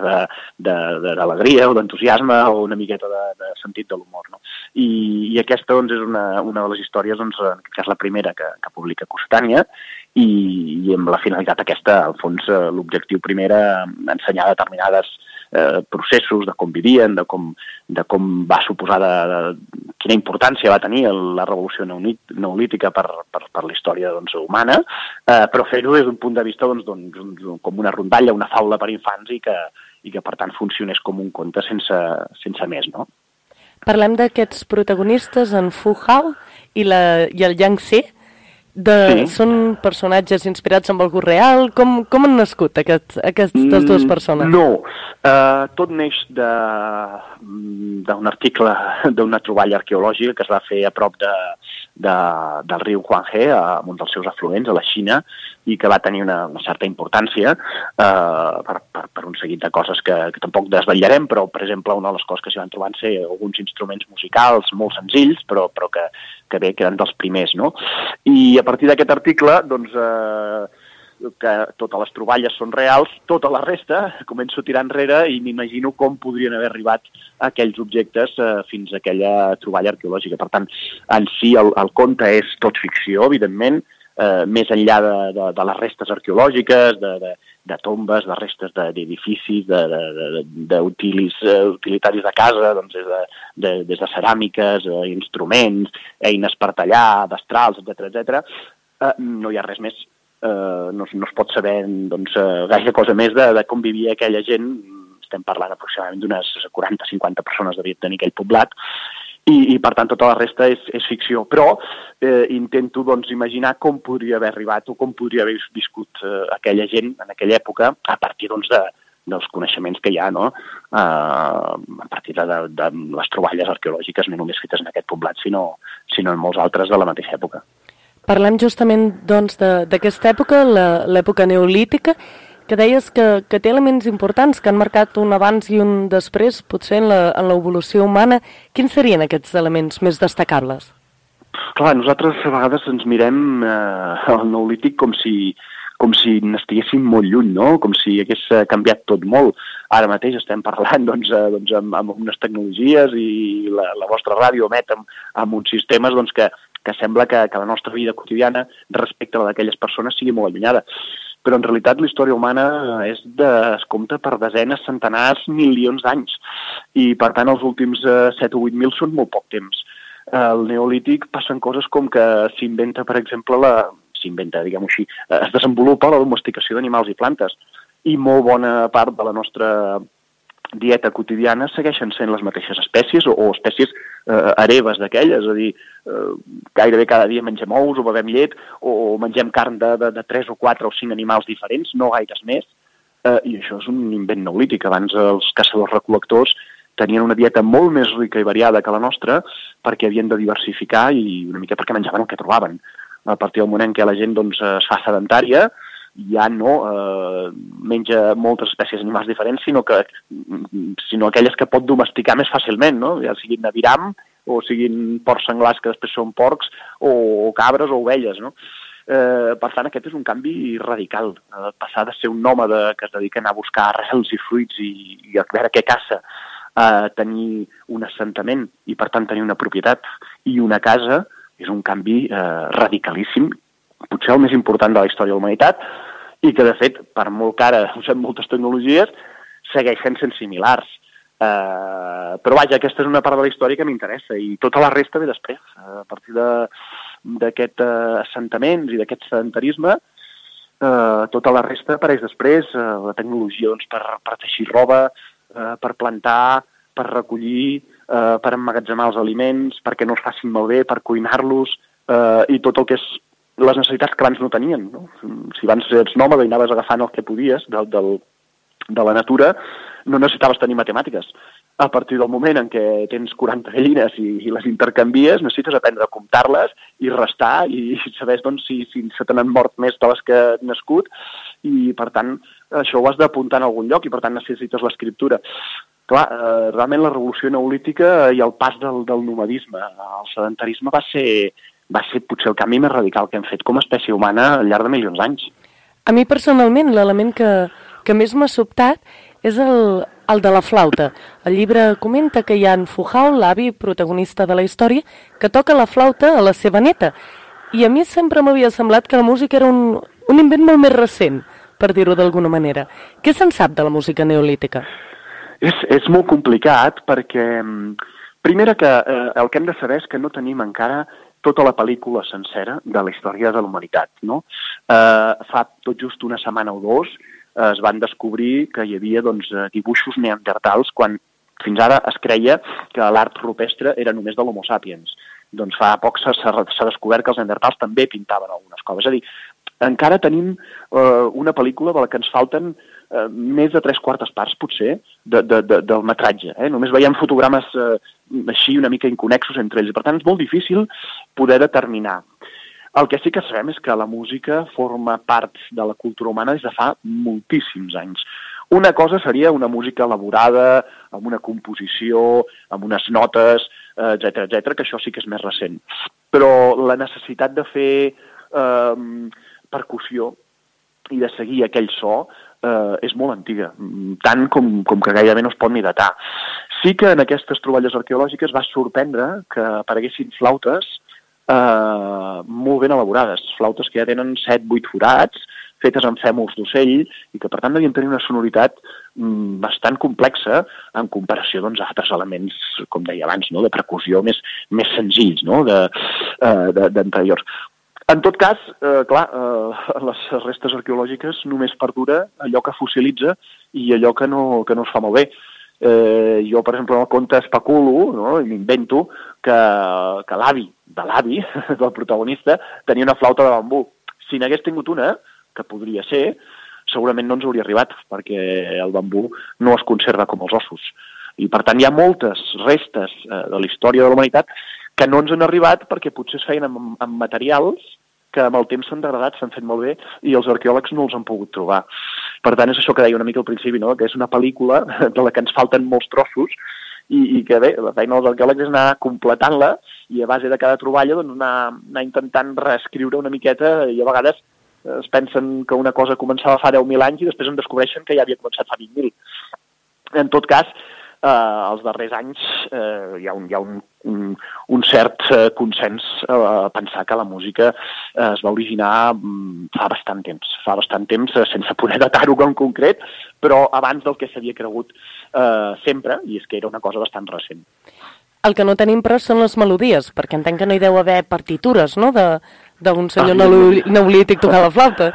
[SPEAKER 14] d'alegria o d'entusiasme o una miqueta de, de sentit de l'humor. No? I, I aquesta doncs, és una, una de les històries, doncs, en aquest cas la primera que, que publica Costània, i, i amb la finalitat aquesta, al fons, eh, l'objectiu primer era ensenyar determinades Eh, processos de com vivien, de com, de com va suposar, de, de, quina importància va tenir la revolució neolítica per, per, per la història doncs, humana, eh, però fer-ho des d'un punt de vista doncs, doncs, com una rondalla, una faula per infants i que, i que per tant funcionés com un conte sense, sense més. No?
[SPEAKER 2] Parlem d'aquests protagonistes, en Fu Hao i, la, i el Yang Xi. De, sí. Són personatges inspirats en algú real? Com, com han nascut aquest, aquestes dues persones?
[SPEAKER 14] No, uh, tot neix d'un article, d'una troballa arqueològica que es va fer a prop de, de, del riu Huanghe, a un dels seus afluents, a la Xina, i que va tenir una, una certa importància uh, per, per, per un seguit de coses que, que tampoc desvetllarem, però, per exemple, una de les coses que s'hi van trobar van ser alguns instruments musicals molt senzills, però, però que, que bé, que eren dels primers, no? I a partir d'aquest article, doncs, eh, que totes les troballes són reals, tota la resta començo a tirar enrere i m'imagino com podrien haver arribat aquells objectes eh, fins a aquella troballa arqueològica. Per tant, en si el, el conte és tot ficció, evidentment, eh, més enllà de, de, de les restes arqueològiques, de, de, de tombes, de restes d'edificis, de, de, de, d'utilis, uh, utilitaris de casa, doncs des de, de, des de ceràmiques, uh, instruments, eines per tallar, destrals, etcètera, etcètera. Uh, no hi ha res més, uh, no, no es pot saber doncs, uh, gaire cosa més de, de com vivia aquella gent. Estem parlant aproximadament d'unes quaranta a cinquanta persones devia tenir aquell poblat, i, i per tant tota la resta és, és ficció, però eh, intento doncs, imaginar com podria haver arribat o com podria haver viscut eh, aquella gent en aquella època a partir doncs, de, dels coneixements que hi ha, no? eh, a partir de, de, de les troballes arqueològiques no només fetes en aquest poblat, sinó, sinó en molts altres de la mateixa època.
[SPEAKER 2] Parlem justament doncs, d'aquesta època, l'època neolítica, que deies que, que té elements importants que han marcat un abans i un després, potser en l'evolució humana. Quins serien aquests elements més destacables?
[SPEAKER 14] Clar, nosaltres a vegades ens mirem eh, el neolític com si, com si n'estiguéssim molt lluny, no? Com si hagués canviat tot molt. Ara mateix estem parlant doncs, eh, doncs, amb, amb unes tecnologies i la, la vostra ràdio emet amb, amb uns sistemes doncs, que, que sembla que, que la nostra vida quotidiana respecte a la d'aquelles persones sigui molt allunyada. Però en realitat la història humana és de, es compta per desenes, centenars, milions d'anys. I per tant els últims eh, set o vuit mil són molt poc temps. Al neolític passen coses com que s'inventa, per exemple, la s'inventa, diguem-ho així, eh, es desenvolupa la domesticació d'animals i plantes. I molt bona part de la nostra dieta quotidiana segueixen sent les mateixes espècies o, o espècies eh, hereves d'aquelles, és a dir, eh, gairebé cada dia mengem ous o bevem llet o mengem carn de, de, de tres o quatre o cinc animals diferents, no gaires més, eh, i això és un invent neolític. Abans els caçadors-recol·lectors tenien una dieta molt més rica i variada que la nostra perquè havien de diversificar i una mica perquè menjaven el que trobaven. A partir del moment en què la gent doncs, es fa sedentària, ja no eh, menja moltes espècies animals diferents, sinó que sinó aquelles que pot domesticar més fàcilment, no? Ja siguin aviram o siguin porcs senglars que després són porcs o, o cabres o ovelles, no? Eh, per tant, aquest és un canvi radical. Eh, passar de ser un nòmada que es dedica a anar a buscar arrels i fruits i, i a veure què caça, a tenir un assentament i per tant tenir una propietat i una casa, és un canvi eh, radicalíssim, potser el més important de la història de la humanitat, i que, de fet, per molt que ara usem moltes tecnologies, segueixen sent similars. Uh, però, vaja, aquesta és una part de la història que m'interessa, i tota la resta ve després. Uh, a partir d'aquest uh, assentaments i d'aquest sedentarisme, uh, tota la resta apareix després. Uh, la tecnologia doncs, per, per teixir roba, uh, per plantar, per recollir, uh, per emmagatzemar els aliments, perquè no es facin malbé, per cuinar-los, uh, i tot el que és les necessitats que abans no tenien, no? Si abans ets nòmada i anaves agafant el que podies del, del, de la natura, no necessitaves tenir matemàtiques. A partir del moment en què tens quaranta gallines i, i les intercanvies, necessites aprendre a comptar-les i restar i saber doncs, si, si se te n'han mort més de les que han nascut, i per tant això ho has d'apuntar en algun lloc i per tant necessites l'escriptura. Clar, eh, realment la revolució neolítica i el pas del, del nomadisme al sedentarisme va ser, va ser potser el canvi més radical que hem fet com a espècie humana al llarg de milions d'anys.
[SPEAKER 2] A mi personalment l'element que, que més m'ha sobtat és el, el de la flauta. El llibre comenta que hi ha en Fujao, l'avi protagonista de la història, que toca la flauta a la seva neta. I a mi sempre m'havia semblat que la música era un, un invent molt més recent, per dir-ho d'alguna manera. Què se'n sap de la música neolítica?
[SPEAKER 14] És, és molt complicat perquè, primera, que eh, el que hem de saber és que no tenim encara tota la pel·lícula sencera de la història de la humanitat, no? Eh, fa tot just una setmana o dos eh, es van descobrir que hi havia doncs, dibuixos neandertals quan fins ara es creia que l'art rupestre era només de l'Homo sapiens. Doncs fa poc s'ha descobert que els neandertals també pintaven algunes coses. És a dir, encara tenim eh, una pel·lícula de la que ens falten eh, més de tres quartes parts, potser, de, de, de, del metratge. Eh? Només veiem fotogrames eh, així una mica inconexos entre ells. Per tant, és molt difícil poder determinar. El que sí que sabem és que la música forma part de la cultura humana des de fa moltíssims anys. Una cosa seria una música elaborada, amb una composició, amb unes notes, etcètera, etcètera, que això sí que és més recent. Però la necessitat de fer eh, percussió i de seguir aquell so eh, és molt antiga, tant com, com que gairebé no es pot ni datar. Sí que en aquestes troballes arqueològiques va sorprendre que apareguessin flautes eh, molt ben elaborades, flautes que ja tenen set vuit forats, fetes amb fèmuls d'ocell i que per tant devien tenir una sonoritat mm, bastant complexa en comparació doncs, a altres elements, com deia abans, no? De percussió més, més senzills, no? de, eh, de, d'anteriors. En tot cas, eh, clar, eh, les restes arqueològiques només perdura allò que fossilitza i allò que no, que no es fa molt bé. Eh, jo, per exemple, en el conte especulo, no? I m'invento que, que l'avi de l'avi del protagonista tenia una flauta de bambú. Si n'hagués tingut una, que podria ser, segurament no ens hauria arribat, perquè el bambú no es conserva com els ossos. I, per tant, hi ha moltes restes eh, de la història de la humanitat que no ens han arribat perquè potser es feien amb, amb materials que amb el temps s'han degradat, s'han fet molt bé, i els arqueòlegs no els han pogut trobar. Per tant, és això que deia una mica al principi, no? Que és una pel·lícula de la que ens falten molts trossos, i, i que bé, la feina dels arqueòlegs és anar completant-la, i a base de cada troballa doncs, anar, anar intentant reescriure una miqueta, i a vegades es pensen que una cosa començava fa deu mil anys i després en descobreixen que ja havia començat fa vint mil. En tot cas, eh, els darrers anys eh, hi ha un, hi ha un, un, un cert eh, consens a eh, pensar que la música eh, es va originar mm, fa bastant temps, fa bastant temps, eh, sense poder datar-ho en concret, però abans del que s'havia cregut eh, sempre, i és que era una cosa bastant recent.
[SPEAKER 2] El que no tenim, però, són les melodies, perquè entenc que no hi deu haver partitures, no?, de d'un senyor neolític tocant la flauta.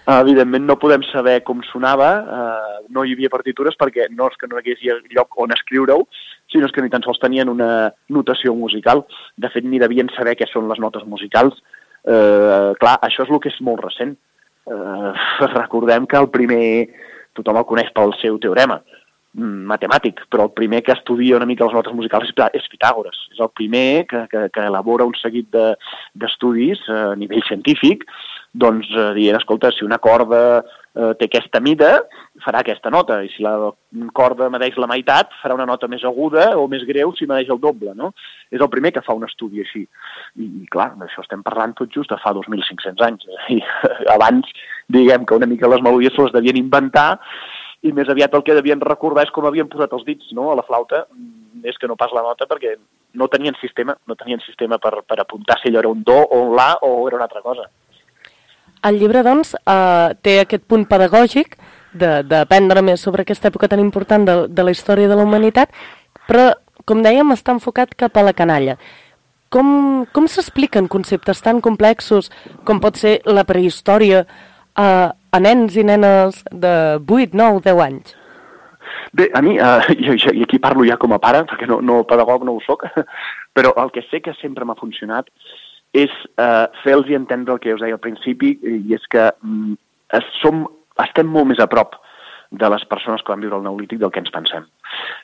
[SPEAKER 14] Evidentment no podem saber com sonava, eh, no hi havia partitures perquè no és que no hi hagués lloc on escriure-ho, sinó que ni tan sols tenien una notació musical. De fet, ni devien saber què són les notes musicals. Eh, clar, això és el que és molt recent. Eh, recordem que el primer, tothom el coneix pel seu teorema matemàtic, però el primer que estudia una mica les notes musicals és Pitàgores. És el primer que, que, que elabora un seguit de, d'estudis a nivell científic, doncs eh, dient, escolta, si una corda eh, té aquesta mida, farà aquesta nota, i si la corda medeix la meitat, farà una nota més aguda o més greu si medeix el doble, no? És el primer que fa un estudi així. I, i clar, d'això estem parlant tot just de fa dos mil cinc-cents anys. I abans, diguem que una mica les melodies se les devien inventar, i més aviat el que devien recordar és com havien posat els dits, no?, a la flauta, és que no pas la nota, perquè no tenien sistema, no tenien sistema per, per apuntar si allò era un do o un la o era una altra cosa.
[SPEAKER 2] El llibre, doncs, eh, té aquest punt pedagògic d'aprendre més sobre aquesta època tan important de, de la història de la humanitat, però, com dèiem, està enfocat cap a la canalla. Com, com s'expliquen conceptes tan complexos com pot ser la prehistòria a, a nens i nenes de vuit, nou, deu anys?
[SPEAKER 14] Bé, a mi, eh, i, i aquí parlo ja com a pare, perquè no, no pedagog no ho soc, però el que sé que sempre m'ha funcionat és eh, fer-los entendre el que us deia al principi, i és que mm, som, estem molt més a prop de les persones que van viure el Neolític del que ens pensem.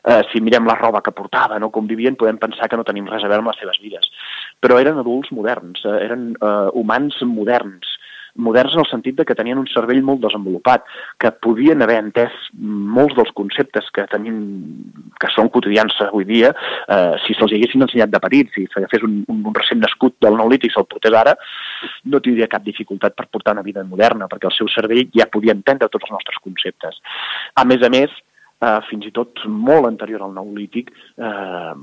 [SPEAKER 14] Eh, si mirem la roba que portaven o com vivien, podem pensar que no tenim res a veure amb les seves vides. Però eren adults moderns, eh, eren eh, humans moderns, moderns en el sentit de que tenien un cervell molt desenvolupat, que podien haver entès molts dels conceptes que tenim, que són quotidians avui dia, eh, si se'ls haguessin ensenyat de petits, si s'agafés un, un, un recent nascut del Neolític, se'l portés ara, no tindria cap dificultat per portar una vida moderna, perquè el seu cervell ja podia entendre tots els nostres conceptes. A més a més, eh, fins i tot molt anterior al Neolític, eh,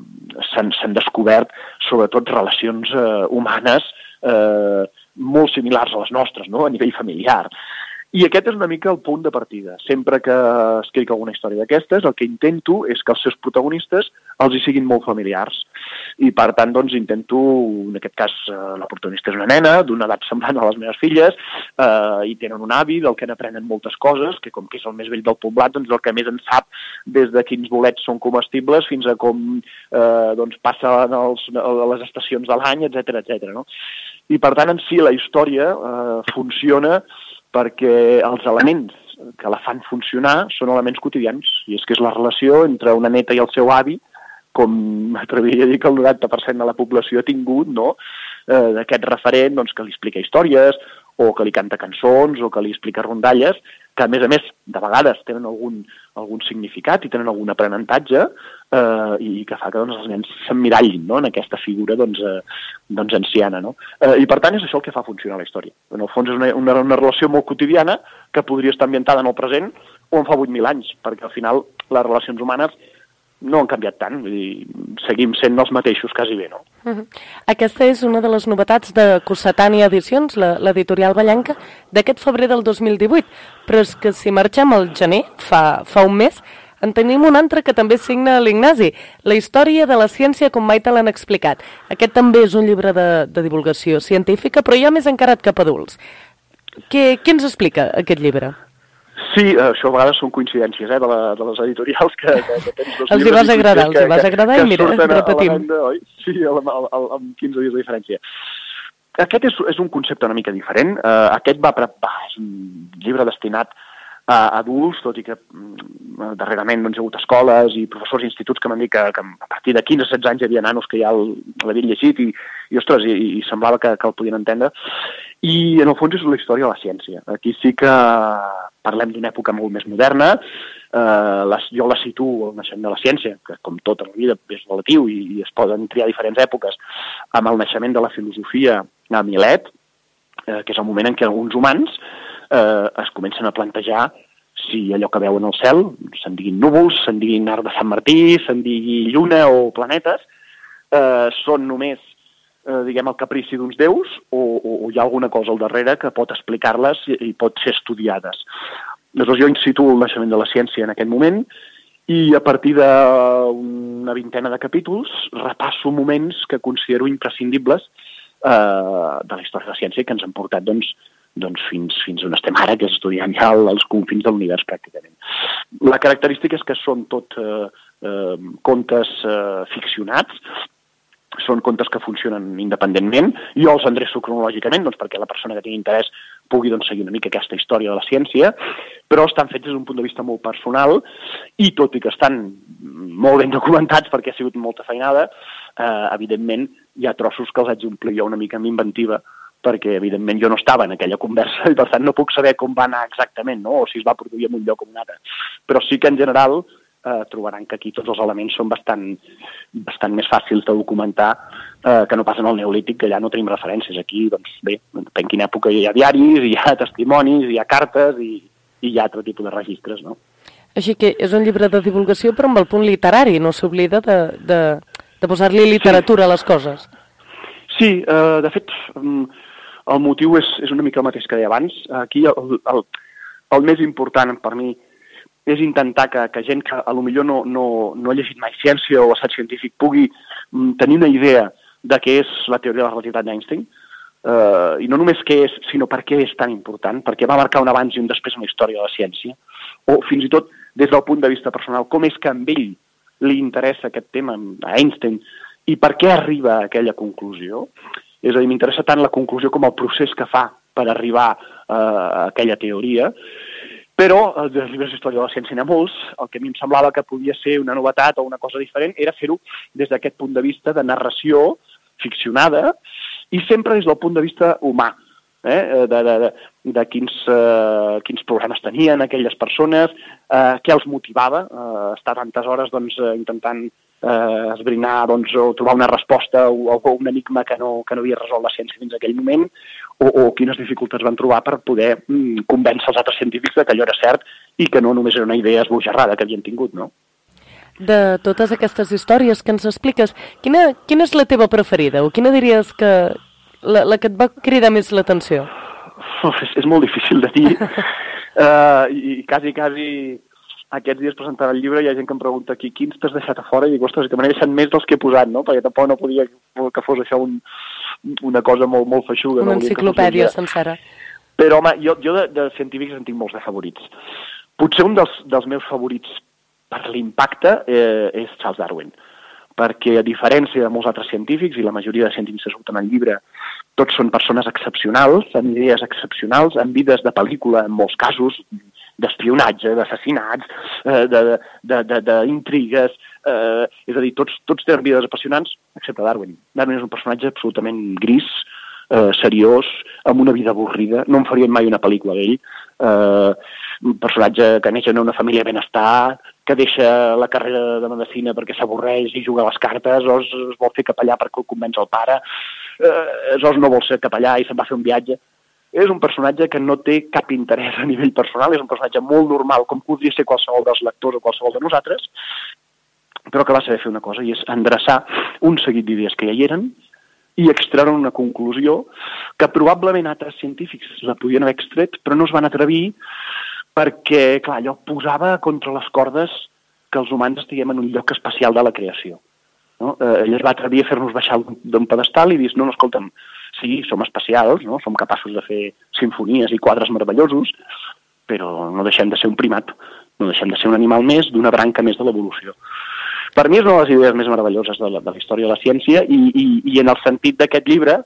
[SPEAKER 14] s'han, s'han descobert sobretot relacions eh, humanes eh, molt similars a les nostres, no?, a nivell familiar. I aquest és una mica el punt de partida. Sempre que escric alguna història d'aquestes, el que intento és que els seus protagonistes els hi siguin molt familiars. I, per tant, doncs, intento, en aquest cas, la protagonista és una nena, d'una edat semblant a les meves filles, eh, i tenen un avi del que n'aprenen moltes coses, que com que és el més vell del poblat, doncs el que més en sap, des de quins bolets són comestibles fins a com eh, doncs, passen els, les estacions de l'any, etcètera, etcètera, no? I, per tant, en si la història eh, funciona perquè els elements que la fan funcionar són elements quotidians, i és que és la relació entre una neta i el seu avi, com m'atreviria a dir que el noranta per cent de la població ha tingut, no?, eh, d'aquest referent doncs, que li explica històries, o que li canta cançons, o que li explica rondalles, que a més a més de vegades tenen algun, algun significat i tenen algun aprenentatge, eh, i que fa que doncs, els nens s'emmirallin, no?, en aquesta figura doncs, eh, doncs anciana. No? Eh, I per tant és això el que fa funcionar la història. En el fons és una, una, una relació molt quotidiana que podria estar ambientada en el present o en fa vuit mil anys, perquè al final les relacions humanes no han canviat tant, vull dir, seguim sent els mateixos quasi bé, no?
[SPEAKER 2] Uh-huh. Aquesta és una de les novetats de Cossetània Edicions, l'editorial ballenca, d'aquest febrer del dos mil divuit, però és que si marxem al gener, fa, fa un mes, en tenim un altre que també signa l'Ignasi, La història de la ciència com mai te l'han explicat. Aquest també és un llibre de, de divulgació científica, però ja més encarat cap a adults. Què, què ens explica aquest llibre?
[SPEAKER 14] Sí, això a vegades són coincidències, eh, de, la, de les editorials que, que, que tens dos
[SPEAKER 2] els hi vas agradar, els hi vas agradar i mira, repetim.
[SPEAKER 14] Venda, oi? Sí, amb quinze dies de diferència. Aquest és, és un concepte una mica diferent. Uh, aquest va, va, és un llibre destinat a adults, tot i que uh, darrerament doncs, hi ha hagut escoles i professors i instituts que m'han dit que, que a partir de quinze o setze anys hi havia nanos que ja l'havien llegit i, i, ostres, i, i semblava que, que el podien entendre. I en el fons és la història de la ciència. Aquí sí que parlem d'una època molt més moderna. Eh, les, jo la situo al naixement de la ciència, que com tota la vida és relatiu i, i es poden triar diferents èpoques, amb el naixement de la filosofia a Milet, eh, que és el moment en què alguns humans eh, es comencen a plantejar si allò que veuen al cel, se'n diguin núvols, se'n diguin arc de Sant Martí, se'n digui lluna o planetes, eh, són només Eh, diguem, el caprici d'uns déus o, o, o hi ha alguna cosa al darrere que pot explicar-les i, i pot ser estudiades. Llavors jo instituo el naixement de la ciència en aquest moment i a partir d'una vintena de capítols repasso moments que considero imprescindibles eh, de la història de la ciència que ens han portat doncs, doncs fins, fins on estem ara, que és estudiant ja els confins de l'univers pràcticament. La característica és que són tot eh, eh, contes eh, ficcionats, són contes que funcionen independentment. Jo els endreço cronològicament doncs, perquè la persona que tingui interès pugui doncs, seguir una mica aquesta història de la ciència, però estan fets des d'un punt de vista molt personal i tot i que estan molt ben documentats perquè ha sigut molta feinada, eh, evidentment hi ha trossos que els haig d'omplir jo una mica amb inventiva perquè evidentment jo no estava en aquella conversa i per tant no puc saber com va anar exactament, no? O si es va produir en un lloc o en un altre. Però sí que en general eh, trobaran que aquí tots els elements són bastant, bastant més fàcils de documentar eh, que no pas en el Neolític, que allà no tenim referències. Aquí, doncs bé, en quina època hi ha diaris, hi ha testimonis, hi ha cartes i, i hi ha altre tipus de registres, no?
[SPEAKER 2] Així que és un llibre de divulgació però amb el punt literari, no s'oblida de, de, de posar-li literatura sí. a les coses.
[SPEAKER 14] Sí, eh, de fet, el motiu és, és una mica el mateix que deia abans. Aquí el, el, el més important per mi és intentar que, que gent que a lo millor no, no, no ha llegit mai ciència o assaig científic pugui mm, tenir una idea de què és la teoria de la relativitat d'Einstein, uh, i no només què és, sinó per què és tan important, perquè va marcar un abans i un després en la història de la ciència, o fins i tot des del punt de vista personal, com és que a ell li interessa aquest tema, a Einstein, i per què arriba a aquella conclusió. És a dir, m'interessa tant la conclusió com el procés que fa per arribar uh, a aquella teoria. Però dels llibres d'història de la ciència n'hi ha molts. El que a mi em semblava que podia ser una novetat o una cosa diferent era fer-ho des d'aquest punt de vista de narració ficcionada i sempre des del punt de vista humà, eh? de, de, de, de quins, uh, quins problemes tenien aquelles persones, uh, què els motivava uh, estar tantes hores doncs, uh, intentant uh, esbrinar doncs, o trobar una resposta o, o un enigma que no, que no havia resolt la ciència fins a aquell moment, o, o quines dificultats van trobar per poder mm, convèncer els altres científics de que allò era cert i que no només era una idea esbojarrada que havien tingut, no?
[SPEAKER 2] De totes aquestes històries que ens expliques, quina, quina és la teva preferida? O quina diries que la, la que et va cridar més l'atenció?
[SPEAKER 14] Uf, és, és molt difícil de dir. uh, i, I quasi, quasi aquests dies presentant el llibre hi ha gent que em pregunta aquí quins t'has deixat a fora i dic, ostres, que me n'he deixat més dels que he posat, no? Perquè tampoc no podia que fos això un, una cosa molt, molt feixuga.
[SPEAKER 2] Una
[SPEAKER 14] no?
[SPEAKER 2] enciclopèdia sencera.
[SPEAKER 14] Però, home, jo, jo de, de científics en tinc molts de favorits. Potser un dels, dels meus favorits per l'impacte eh, és Charles Darwin, perquè a diferència de molts altres científics, i la majoria de científics que surten al llibre, tots són persones excepcionals, amb idees excepcionals, amb vides de pel·lícula, en molts casos, d'espionatge, d'assassinats, eh, d'intrigues, eh, és a dir, tots, tots tenen vides apassionants, excepte Darwin. Darwin és un personatge absolutament gris, eh, seriós, amb una vida avorrida, no em farien mai una pel·lícula d'ell, eh, un personatge que neix en una família de benestar, que deixa la carrera de medicina perquè s'avorreix i juga a les cartes, o es, es vol fer capellà perquè el convenç el pare, eh, o no vol ser capellà i se'n va fer un viatge. És un personatge que no té cap interès a nivell personal, és un personatge molt normal, com podria ser qualsevol dels lectors o qualsevol de nosaltres, però que va saber fer una cosa, i és endreçar un seguit d'idees que ja hi eren i extreure una conclusió que probablement altres científics la podien haver extret, però no es van atrevir perquè, clar, allò posava contra les cordes que els humans estiguem en un lloc especial de la creació. No? Eh, ell es va atrevir a fer-nos baixar d'un pedestal i dir, no, no, escolta'm, sí, som especials, no? Som capaços de fer simfonies i quadres meravellosos, però no deixem de ser un primat, no deixem de ser un animal més d'una branca més de l'evolució. Per mi és una de les idees més meravelloses de la, de la història de la ciència i, i, i en el sentit d'aquest llibre,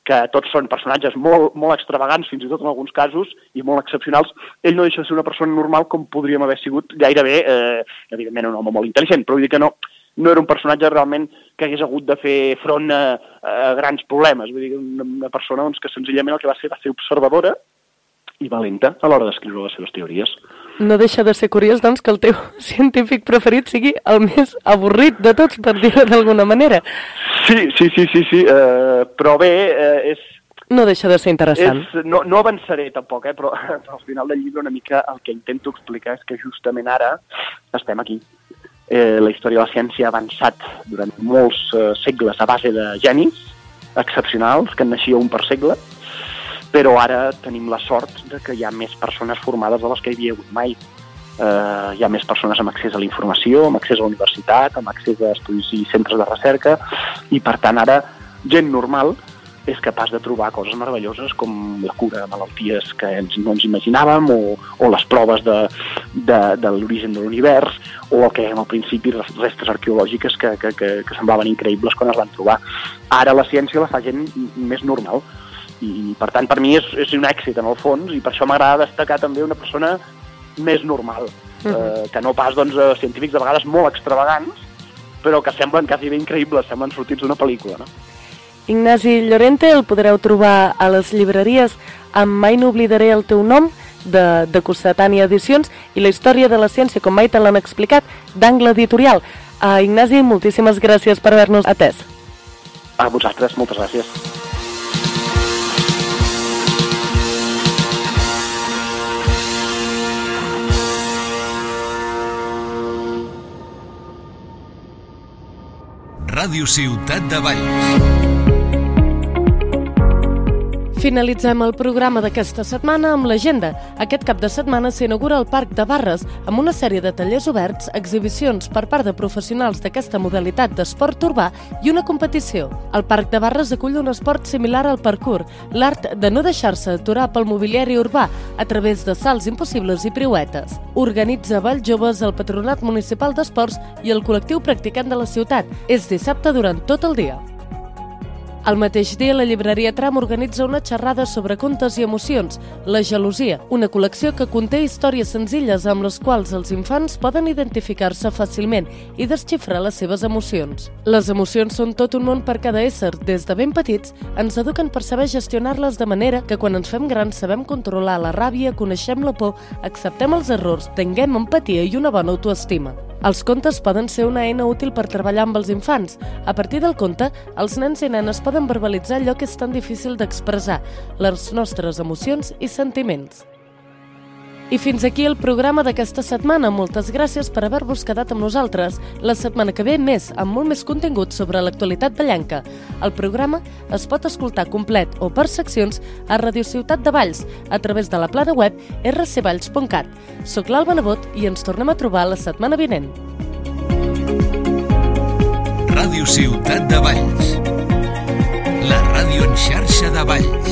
[SPEAKER 14] que tots són personatges molt, molt extravagants, fins i tot en alguns casos, i molt excepcionals, ell no deixa de ser una persona normal com podríem haver sigut gairebé, eh, evidentment un home molt intel·ligent, però vull dir que no, no era un personatge realment que hagués hagut de fer front a, a grans problemes. Vull dir, una, una persona doncs, que senzillament el que va ser va ser observadora i valenta a l'hora d'escriure les seves teories.
[SPEAKER 2] No deixa de ser curiós, doncs, que el teu científic preferit sigui el més avorrit de tots, per dir-ho d'alguna manera.
[SPEAKER 14] Sí, sí, sí, sí, sí. Uh, però bé, uh, és...
[SPEAKER 2] No deixa de ser interessant.
[SPEAKER 14] És, no, no avançaré tampoc, eh, però al final del llibre una mica el que intento explicar és que justament ara estem aquí. Eh, la història de la ciència ha avançat durant molts uh, segles a base de genis excepcionals, que en naixia un per segle, però ara tenim la sort de que hi ha més persones formades de les que hi havia hagut mai. Uh, hi ha més persones amb accés a la informació, amb accés a la universitat, amb accés a estudis i centres de recerca, i per tant ara gent normal és capaç de trobar coses meravelloses com la cura de malalties que ens, no ens imaginàvem, o, o les proves de, de, de l'origen de l'univers, o el que dèiem al principi, restes arqueològiques que, que, que, que semblaven increïbles quan es van trobar. Ara la ciència la fa gent més normal, i per tant per mi és, és un èxit en el fons, i per això m'agrada destacar també una persona més normal, uh-huh. eh, que no pas doncs, científics de vegades molt extravagants, però que semblen quasi bé increïbles, semblen sortits d'una pel·lícula, no?
[SPEAKER 2] Ignasi Llorente el podreu trobar a les llibreries amb Mai no oblidaré el teu nom, de, de Cossetània Edicions, i La història de la ciència, com mai te l'han explicat, d'Angle Editorial. Uh, Ignasi, moltíssimes gràcies per haver-nos atès.
[SPEAKER 14] A vosaltres, moltes gràcies.
[SPEAKER 1] Ràdio Ciutat de Valls.
[SPEAKER 2] Finalitzem el programa d'aquesta setmana amb l'agenda. Aquest cap de setmana s'inaugura el Parc de Barres amb una sèrie de tallers oberts, exhibicions per part de professionals d'aquesta modalitat d'esport urbà i una competició. El Parc de Barres acull un esport similar al parkour, l'art de no deixar-se aturar pel mobiliari urbà a través de salts impossibles i piruetes. Organitza Valls Joves, el Patronat Municipal d'Esports i el col·lectiu practicant de la ciutat. És dissabte durant tot el dia. El mateix dia, la llibreria Tram organitza una xerrada sobre contes i emocions, La gelosia, una col·lecció que conté històries senzilles amb les quals els infants poden identificar-se fàcilment i desxifrar les seves emocions. Les emocions són tot un món per cada ésser. Des de ben petits ens eduquen per saber gestionar-les de manera que quan ens fem grans sabem controlar la ràbia, coneixem la por, acceptem els errors, tinguem empatia i una bona autoestima. Els contes poden ser una eina útil per treballar amb els infants. A partir del conte, els nens i nenes poden verbalitzar allò que és tan difícil d'expressar, les nostres emocions i sentiments. I fins aquí el programa d'aquesta setmana. Moltes gràcies per haver-vos quedat amb nosaltres. La setmana que ve més, amb molt més contingut sobre l'actualitat vallenca. El programa es pot escoltar complet o per seccions a Radio Ciutat de Valls, a través de la plana web erre ce valls punt cat. Soc l'Alba Nebot i ens tornem a trobar la setmana vinent.
[SPEAKER 1] Ràdio Ciutat de Valls, la ràdio en xarxa de Valls.